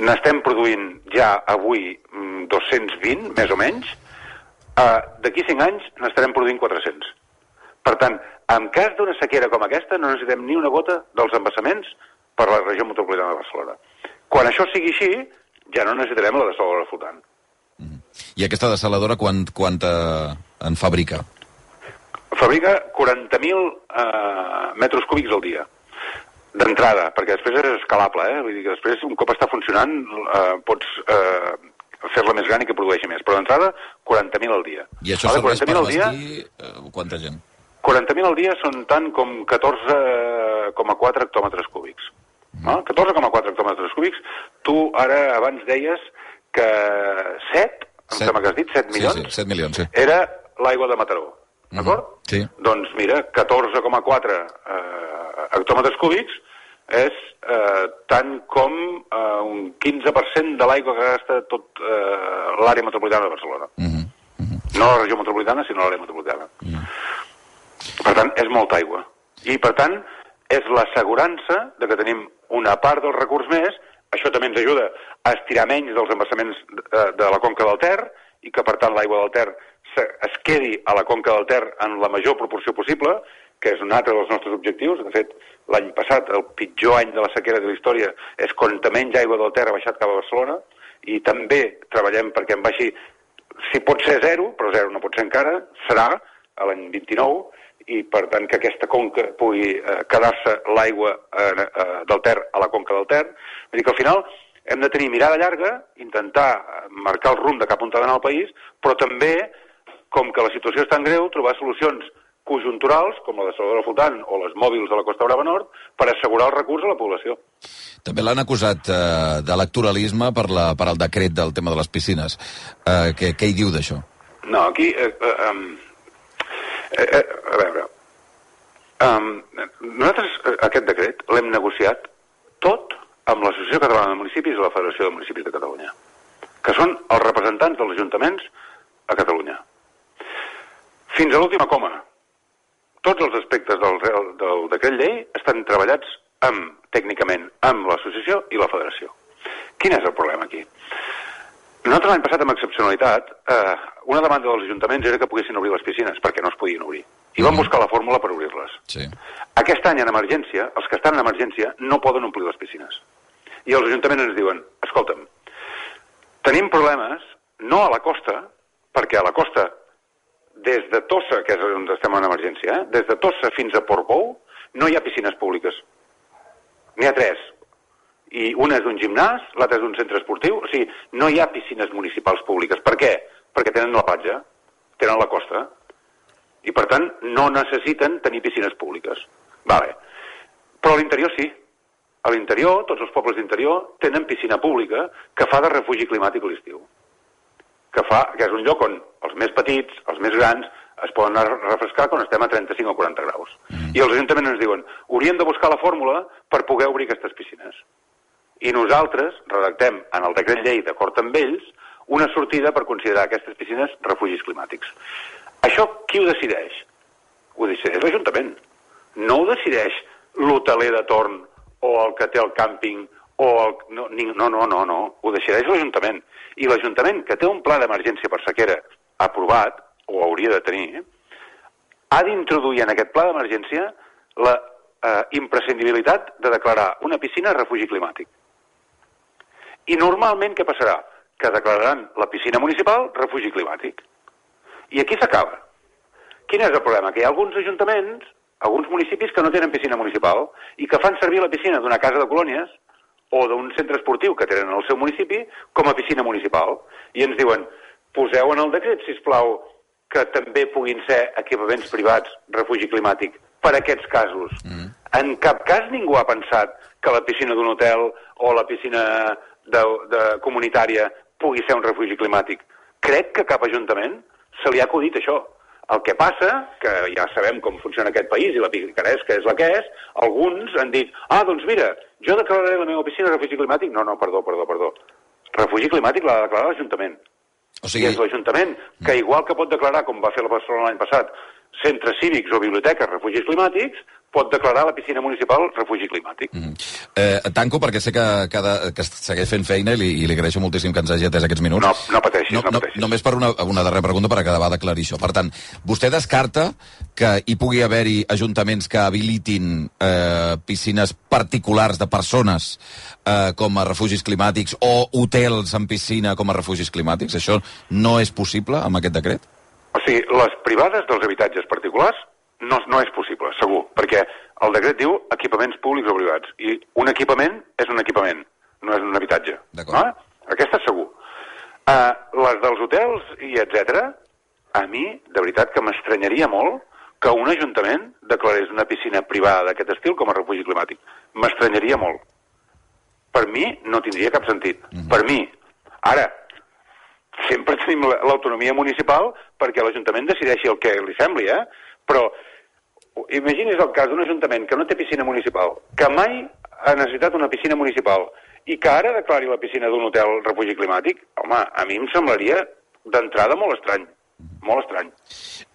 n'estem produint ja avui dos-cents vint, més o menys, uh, d'aquí cinc anys n'estarem produint quatre-cents. Per tant, en cas d'una sequera com aquesta, no necessitem ni una gota dels embassaments per la regió metropolitana de Barcelona. Quan això sigui així, ja no necessitarem la dessaladora flotant. I aquesta dessaladora quant, quant eh, en fabrica? Fabrica quaranta mil eh, metres cúbics al dia, d'entrada, perquè després és escalable, eh? Vull dir que després, un cop està funcionant, eh, pots eh, fer-la més gran i que produeixi més. Però d'entrada, quaranta mil al dia. I això vale, serveix per abastir eh, quanta gent? quaranta mil al dia són tant com catorze coma quatre hectòmetres cúbics. Mm. No? catorze coma quatre hectòmetres cúbics. Tu ara abans deies que set, em sembla que has dit, set milions, sí, sí, set milions sí. Era l'aigua de Mataró, d'acord? Mm-hmm. Sí. Doncs mira, catorze coma quatre eh, hectòmetres cúbics és eh, tant com eh, un quinze per cent de l'aigua que gasta tot eh, l'àrea metropolitana de Barcelona. Mm-hmm. Mm-hmm. No la regió metropolitana, sinó l'àrea metropolitana. Mm-hmm. Per tant, és molta aigua. I, per tant, és l'assegurança de que tenim una part del recurs més. Això també ens ajuda a estirar menys dels embassaments de, de la conca del Ter i que, per tant, l'aigua del Ter es quedi a la conca del Ter en la major proporció possible, que és un altre dels nostres objectius. De fet, l'any passat, el pitjor any de la sequera de la història, és quan menys aigua del Ter ha baixat cap a Barcelona, i també treballem perquè en baixi, si pot ser zero, però zero no pot ser encara, serà a l'any vint-i-nou, i per tant que aquesta conca pugui eh, quedar-se l'aigua eh, eh, del Ter a la conca del Ter. Vull dir que al final hem de tenir mirada llarga, intentar marcar el rumb de cap on ha d'anar el país, però també, com que la situació és tan greu, trobar solucions conjunturals, com la dessaladora flotant o les mòbils de la Costa Brava Nord, per assegurar el recurs a la població. També l'han acusat eh, d'electoralisme per, la, per el decret del tema de les piscines. Eh, què, què hi diu d'això? No, aquí... Eh, eh, um... Eh, eh, a veure, um, nosaltres aquest decret l'hem negociat tot amb l'Associació Catalana de Municipis i la Federació de Municipis de Catalunya, que són els representants dels ajuntaments a Catalunya. Fins a l'última coma, tots els aspectes del, del decret llei estan treballats amb, tècnicament amb l'associació i la federació. Quin és el problema aquí? Nosaltres l'any passat, amb excepcionalitat, eh, una demanda dels ajuntaments era que poguessin obrir les piscines, perquè no es podien obrir. I vam buscar la fórmula per obrir-les. Sí. Aquest any, en emergència, els que estan en emergència no poden omplir les piscines. I els ajuntaments ens diuen, escolta'm, tenim problemes, no a la costa, perquè a la costa, des de Tossa, que és on estem en emergència, eh, des de Tossa fins a Portbou, no hi ha piscines públiques. N'hi ha tres. I una és d'un gimnàs, l'altra és d'un centre esportiu. O sigui, no hi ha piscines municipals públiques. Per què? Perquè tenen la platja, tenen la costa, i per tant no necessiten tenir piscines públiques. Vale. Però a l'interior sí. A l'interior, tots els pobles d'interior tenen piscina pública que fa de refugi climàtic a l'estiu. Que, fa, que és un lloc on els més petits, els més grans, es poden anar a refrescar quan estem a trenta-cinc o quaranta graus. Mm. I els ajuntaments ens diuen, hauríem de buscar la fórmula per poder obrir aquestes piscines. I nosaltres redactem en el decret llei, d'acord amb ells, una sortida per considerar aquestes piscines refugis climàtics. Això qui ho decideix? Ho decideix l'Ajuntament. No ho decideix l'hoteler de torn o el que té el càmping o el... No, no, no, no, no. Ho decideix l'Ajuntament. I l'Ajuntament, que té un pla d'emergència per sequera aprovat, o hauria de tenir, ha d'introduir en aquest pla d'emergència la eh, imprescindibilitat de declarar una piscina refugi climàtic. I normalment què passarà? Que declararan la piscina municipal refugi climàtic. I aquí s'acaba. Quin és el problema? Que hi ha alguns ajuntaments, alguns municipis que no tenen piscina municipal i que fan servir la piscina d'una casa de colònies o d'un centre esportiu que tenen al seu municipi com a piscina municipal. I ens diuen, poseu en el decret, sisplau, que també puguin ser equipaments privats refugi climàtic per a aquests casos. Mm. En cap cas ningú ha pensat que la piscina d'un hotel o la piscina de, de comunitària pugui ser un refugi climàtic. Crec que cap ajuntament se li ha acudit això. El que passa, que ja sabem com funciona aquest país i la picaresca és la que és, alguns han dit, ah, doncs mira, jo declararé la meva piscina refugi climàtic. No, no, perdó, perdó, perdó. Refugi climàtic l'ha de declarar l'Ajuntament. O sigui... I és l'Ajuntament que, igual que pot declarar, com va fer la Barcelona l'any passat, centres cívics o biblioteques refugis climàtics, pot declarar la piscina municipal refugi climàtic. Mm. Eh, tanco perquè sé que, que, que segueix fent feina i li, i li agraeixo moltíssim que ens hagi atès aquests minuts. No, no pateixis, no, no pateixis. No, només per una, una darrera pregunta per acabar d'aclarir això. Per tant, vostè descarta que hi pugui haver-hi ajuntaments que habilitin eh, piscines particulars de persones eh, com a refugis climàtics o hotels amb piscina com a refugis climàtics? Això no és possible amb aquest decret? O sigui, les privades dels habitatges particulars no, no és possible, segur, perquè el decret diu equipaments públics o privats, i un equipament és un equipament, no és un habitatge. No? Aquesta és segur. Uh, les dels hotels i etcètera, a mi, de veritat, que m'estranyaria molt que un ajuntament declarés una piscina privada d'aquest estil com a refugi climàtic. M'estranyaria molt. Per mi no tindria cap sentit. Mm-hmm. Per mi. Ara, sempre tenim l'autonomia municipal perquè l'Ajuntament decideixi el que li sembli, eh? Però imagini's el cas d'un ajuntament que no té piscina municipal, que mai ha necessitat una piscina municipal i que ara declari la piscina d'un hotel refugi climàtic. Home, a mi em semblaria d'entrada molt estrany. Molt estrany.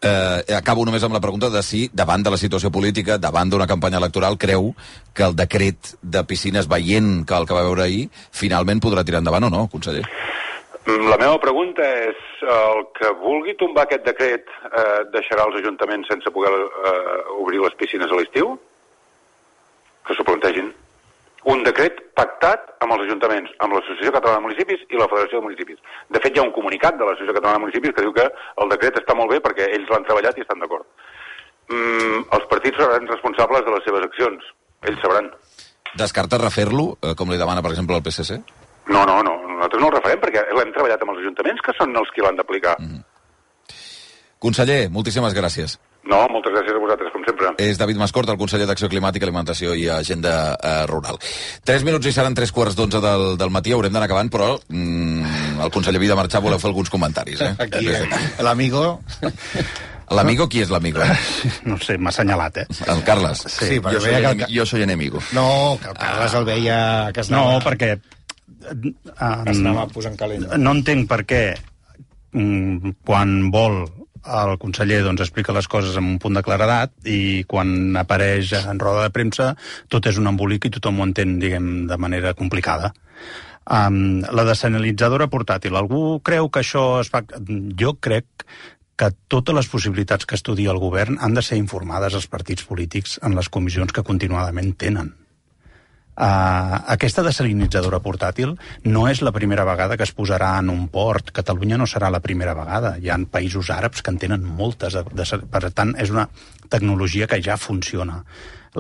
Eh, acabo només amb la pregunta de si, davant de la situació política, davant d'una campanya electoral, creu que el decret de piscines, veient que el que va veure ahir, finalment podrà tirar endavant o no, conseller? La meva pregunta és, el que vulgui tombar aquest decret eh, deixarà els ajuntaments sense poder eh, obrir les piscines a l'estiu? Que s'ho plantegin. Un decret pactat amb els ajuntaments, amb l'Associació Catalana de Municipis i la Federació de Municipis. De fet, hi ha un comunicat de l'Associació Catalana de Municipis que diu que el decret està molt bé perquè ells l'han treballat i estan d'acord. Mm, els partits seran responsables de les seves accions. Ells sabran. Descarta refer-lo, eh, com li demana, per exemple, el P S C? No, no, no. Nosaltres no el referem perquè l'hem treballat amb els ajuntaments, que són els qui l'han d'aplicar. Mm-hmm. Conseller, moltíssimes gràcies. No, moltes gràcies a vosaltres, com sempre. És David Mascort, el conseller d'Acció Climàtica, Alimentació i Agenda eh, Rural. Tres minuts i seran tres quarts d'onze del, del matí, haurem d'anar acabant, però mm, el conseller havia de marxar, voleu fer alguns comentaris, eh? Aquí, eh? L'amigo... L'amigo, qui és l'amigo? No sé, m'ha assenyalat, eh? El Carles. Sí, sí jo, soy que el... jo soy enemigo. No, que el Carles el veia... Que es anava... No, perquè... Um, es anava posant calent. No entenc per què um, quan vol el conseller doncs, explica les coses amb un punt de claredat i quan apareix en roda de premsa tot és un embolic i tothom ho entén, diguem, de manera complicada. Um, la dessalinitzadora portàtil. Algú creu que això es fa... Jo crec que totes les possibilitats que estudia el govern han de ser informades als partits polítics en les comissions que continuadament tenen. Uh, aquesta dessalinitzadora portàtil no és la primera vegada que es posarà en un port. Catalunya no serà la primera vegada. Hi ha països àrabs que en tenen moltes. De, de, per tant, és una tecnologia que ja funciona.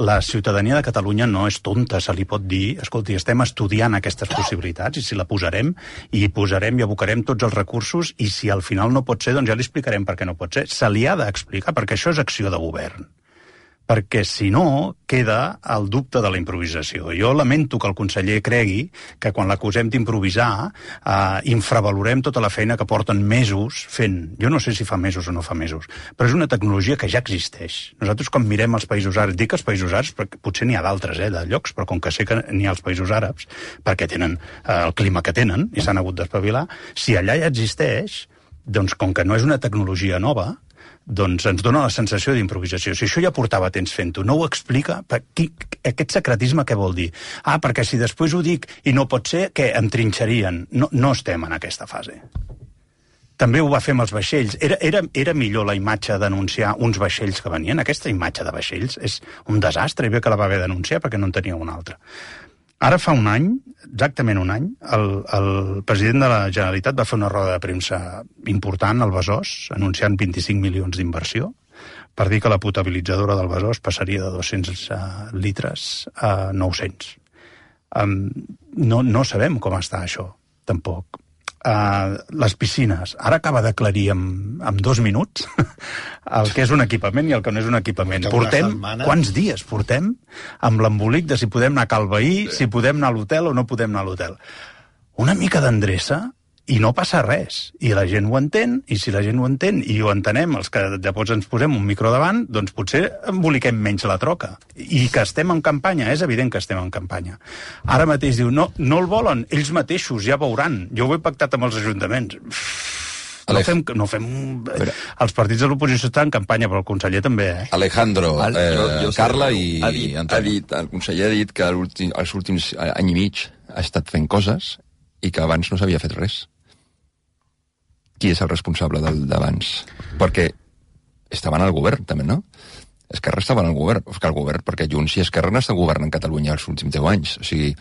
La ciutadania de Catalunya no és tonta, se li pot dir, escolti, estem estudiant aquestes possibilitats i si la posarem, i posarem i abocarem tots els recursos i si al final no pot ser, doncs ja li explicarem per què no pot ser. Se li ha d'explicar, perquè això és acció de govern. Perquè, si no, queda el dubte de la improvisació. Jo lamento que el conseller cregui que quan l'acusem d'improvisar eh, infravalorem tota la feina que porten mesos fent. Jo no sé si fa mesos o no fa mesos, però és una tecnologia que ja existeix. Nosaltres, quan mirem els països àrabs, dic els països àrabs, perquè potser n'hi ha d'altres, eh, de llocs, però com que sé que n'hi ha als països àrabs, perquè tenen eh, el clima que tenen i s'han hagut d'espavilar, si allà ja existeix, doncs com que no és una tecnologia nova, doncs ens dona la sensació d'improvisació. Si això ja portava temps fent-ho, no ho explica, qui, aquest secretisme què vol dir? Ah, perquè si després ho dic i no pot ser, què, em trinxarien? No, no estem en aquesta fase. També ho va fer amb els vaixells. Era, era, era millor la imatge d'anunciar uns vaixells que venien. Aquesta imatge de vaixells és un desastre, i bé que la va haver d'anunciar perquè no en tenia una altra. Ara fa un any, exactament un any, el, el president de la Generalitat va fer una roda de premsa important al Besòs, anunciant vint-i-cinc milions d'inversió, per dir que la potabilitzadora del Besòs passaria de dos-cents litres a nou-cents. Um, no, no sabem com està això, tampoc. Uh, les piscines. Ara acaba d'aclarir en, en dos minuts el que és un equipament i el que no és un equipament. Portem, quants dies portem amb l'embolic de si podem anar a Cal Veí, si podem anar a l'hotel o no podem anar a l'hotel. Una mica d'endreça i no passa res. I la gent ho entén, i si la gent ho entén i ho entenem, els que llavors ens posem un micro davant, doncs potser emboliquem menys la troca. I que estem en campanya, és evident que estem en campanya. Ara mateix diu, no, no el volen, ells mateixos ja veuran. Jo ho he pactat amb els ajuntaments. No fem, no fem... Els partits de l'oposició estan en campanya, però el conseller també, eh? Alejandro, eh, jo, jo Carla i ha dit, ha dit, el conseller ha dit que els últims any i mig ha estat fent coses i que abans no s'havia fet res. Qui és el responsable d'abans? Perquè estaven al govern, també, no? Esquerra estava al govern, que el govern, perquè Junts i Esquerra no estan governant Catalunya els últims deu anys. O sigui,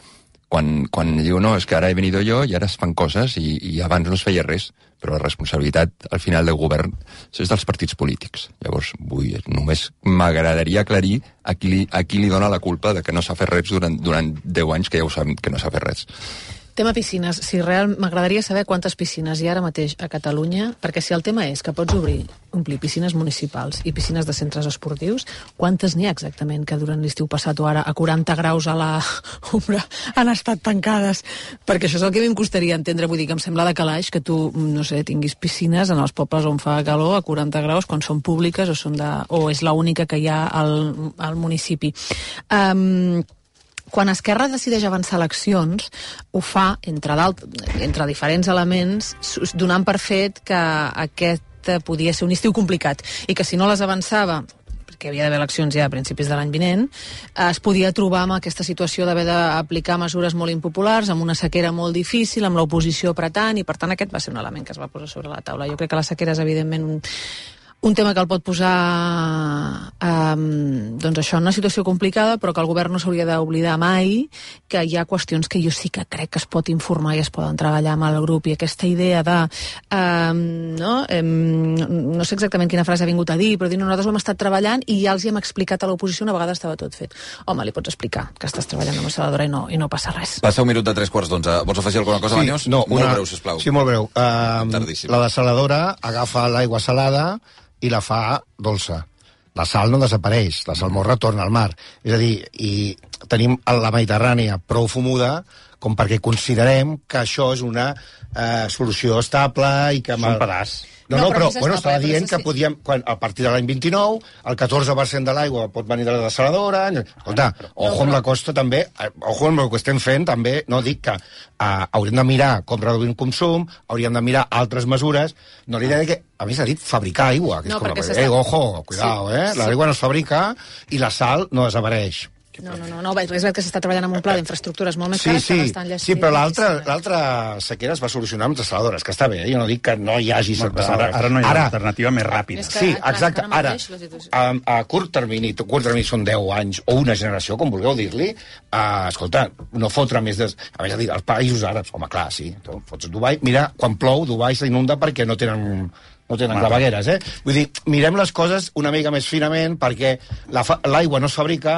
quan, quan diu, no, és que ara he venido jo i ara es fan coses i, i abans no es feia res, però la responsabilitat al final del govern és dels partits polítics. Llavors, vull, només m'agradaria aclarir a qui, li, a qui li dona la culpa de que no s'ha fet res durant, durant deu anys, que ja ho sabem que no s'ha fet res. Tema piscines. Si real, m'agradaria saber quantes piscines hi ha ara mateix a Catalunya, perquè si el tema és que pots obrir, omplir piscines municipals i piscines de centres esportius, quantes n'hi ha exactament que durant l'estiu passat o ara a quaranta graus a la ombra han estat tancades? Perquè això és el que a mi em costaria entendre. Vull dir que em sembla de calaix que tu, no sé, tinguis piscines en els pobles on fa calor a quaranta graus quan són públiques o, són de, o és l'única que hi ha al, al municipi. Um, Quan Esquerra decideix avançar eleccions, ho fa, entre, entre diferents elements, donant per fet que aquest podia ser un estiu complicat i que si no les avançava, perquè havia d'haver eleccions ja a principis de l'any vinent, es podia trobar amb aquesta situació d'haver d'aplicar mesures molt impopulars, amb una sequera molt difícil, amb l'oposició apretant, i per tant aquest va ser un element que es va posar sobre la taula. Jo crec que la sequera és evidentment un... un tema que el pot posar um, doncs això, en una situació complicada, però que el govern no s'hauria d'oblidar mai que hi ha qüestions que jo sí que crec que es pot informar i es poden treballar amb el grup, i aquesta idea de um, no, um, no sé exactament quina frase ha vingut a dir, però dir, no, nosaltres ho hem estat treballant i ja els hi hem explicat a l'oposició, una vegada estava tot fet. Home, li pots explicar que estàs treballant amb la saladora i no, i no passa res. Passa un minut de tres quarts d'onze. Vols afegir alguna cosa, sí, Banyos? No, molt una... breu, sisplau. Sí, molt breu. Uh, la desaladora agafa l'aigua salada i la fa dolça. La sal no desapareix, la salmorra retorna al mar. És a dir, i tenim la Mediterrània prou fumuda com perquè considerem que això és una eh, solució estable i que... És un pedaç. No, no, però, bueno, estava dient que podíem, quan, a partir de l'any vint-i-nou, el catorze per cent de l'aigua pot venir de la desaladora. Escolta, ojo amb la costa també, ojo amb el que estem fent també, no dic que uh, hauríem de mirar com reduir el consum, hauríem de mirar altres mesures, no li diré que, a més ha dit fabricar aigua, que és no, com la... Eh, ojo, cuidao, sí, eh? L'aigua sí. no es fabrica i la sal no desapareix. No, no, no, no, és veritat que s'està treballant amb un pla d'infraestructures molt més sí, cares sí, que estan sí, però l'altra sequera es va solucionar amb desaladores, que està bé, eh? Jo no dic que no hi hagi no, ara, ara no hi ha ara, alternativa més ràpida. Sí, exacte, ara, a, a curt termini, a curt termini són deu anys, o una generació, com vulgueu dir-li, uh, escolta, no fotre més de... A més, a dir, els països àrabs, home, clar, sí, tu fots Dubai, mira, quan plou, Dubai s'inunda perquè no tenen... no tenen clavegueres, eh? Vull dir, mirem les coses una mica més finament perquè l'aigua no es fabrica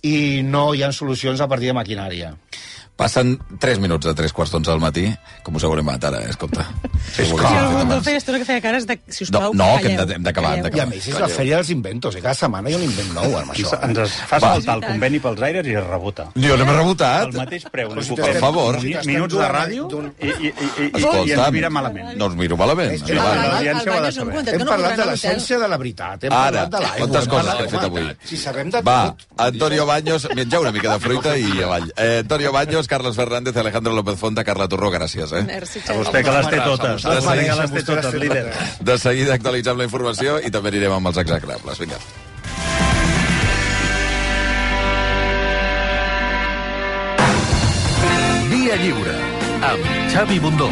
i no hi ha solucions a partir de maquinària. Passen tres minuts de tres quarts d'onze del matí, com us haurem matat ara, eh? Escolta. Sí, sí, el Mundo feia estona que feia cares de, si us plau, no, no, que hem d'acabar. I a més és la fèria dels inventos, i cada setmana hi ha un invent nou amb això. Ens es fa saltar el conveni pels aires i es rebota. Jo no m'he rebotat. El mateix preu. Per favor. Minuts de ràdio i ens mira malament. No us miro malament. L'audiència ho ha de saber. Hem parlat de l'essència de la veritat, hem parlat de l'aigua. Quantes coses que he fet avui. Si sabem de tot... Va, Antonio Baños, menjar una mica de fruita i avall. Antonio Baños, Carlos Fernández, Alejandro López Fonta, Carla Torró, gràcies, eh? Merci, a vostè que les té totes. De seguida, les té totes, líder. De seguida actualitzem la informació i també anirem amb els execrables. Vinga. Via Lliure, amb Xavi Bundó.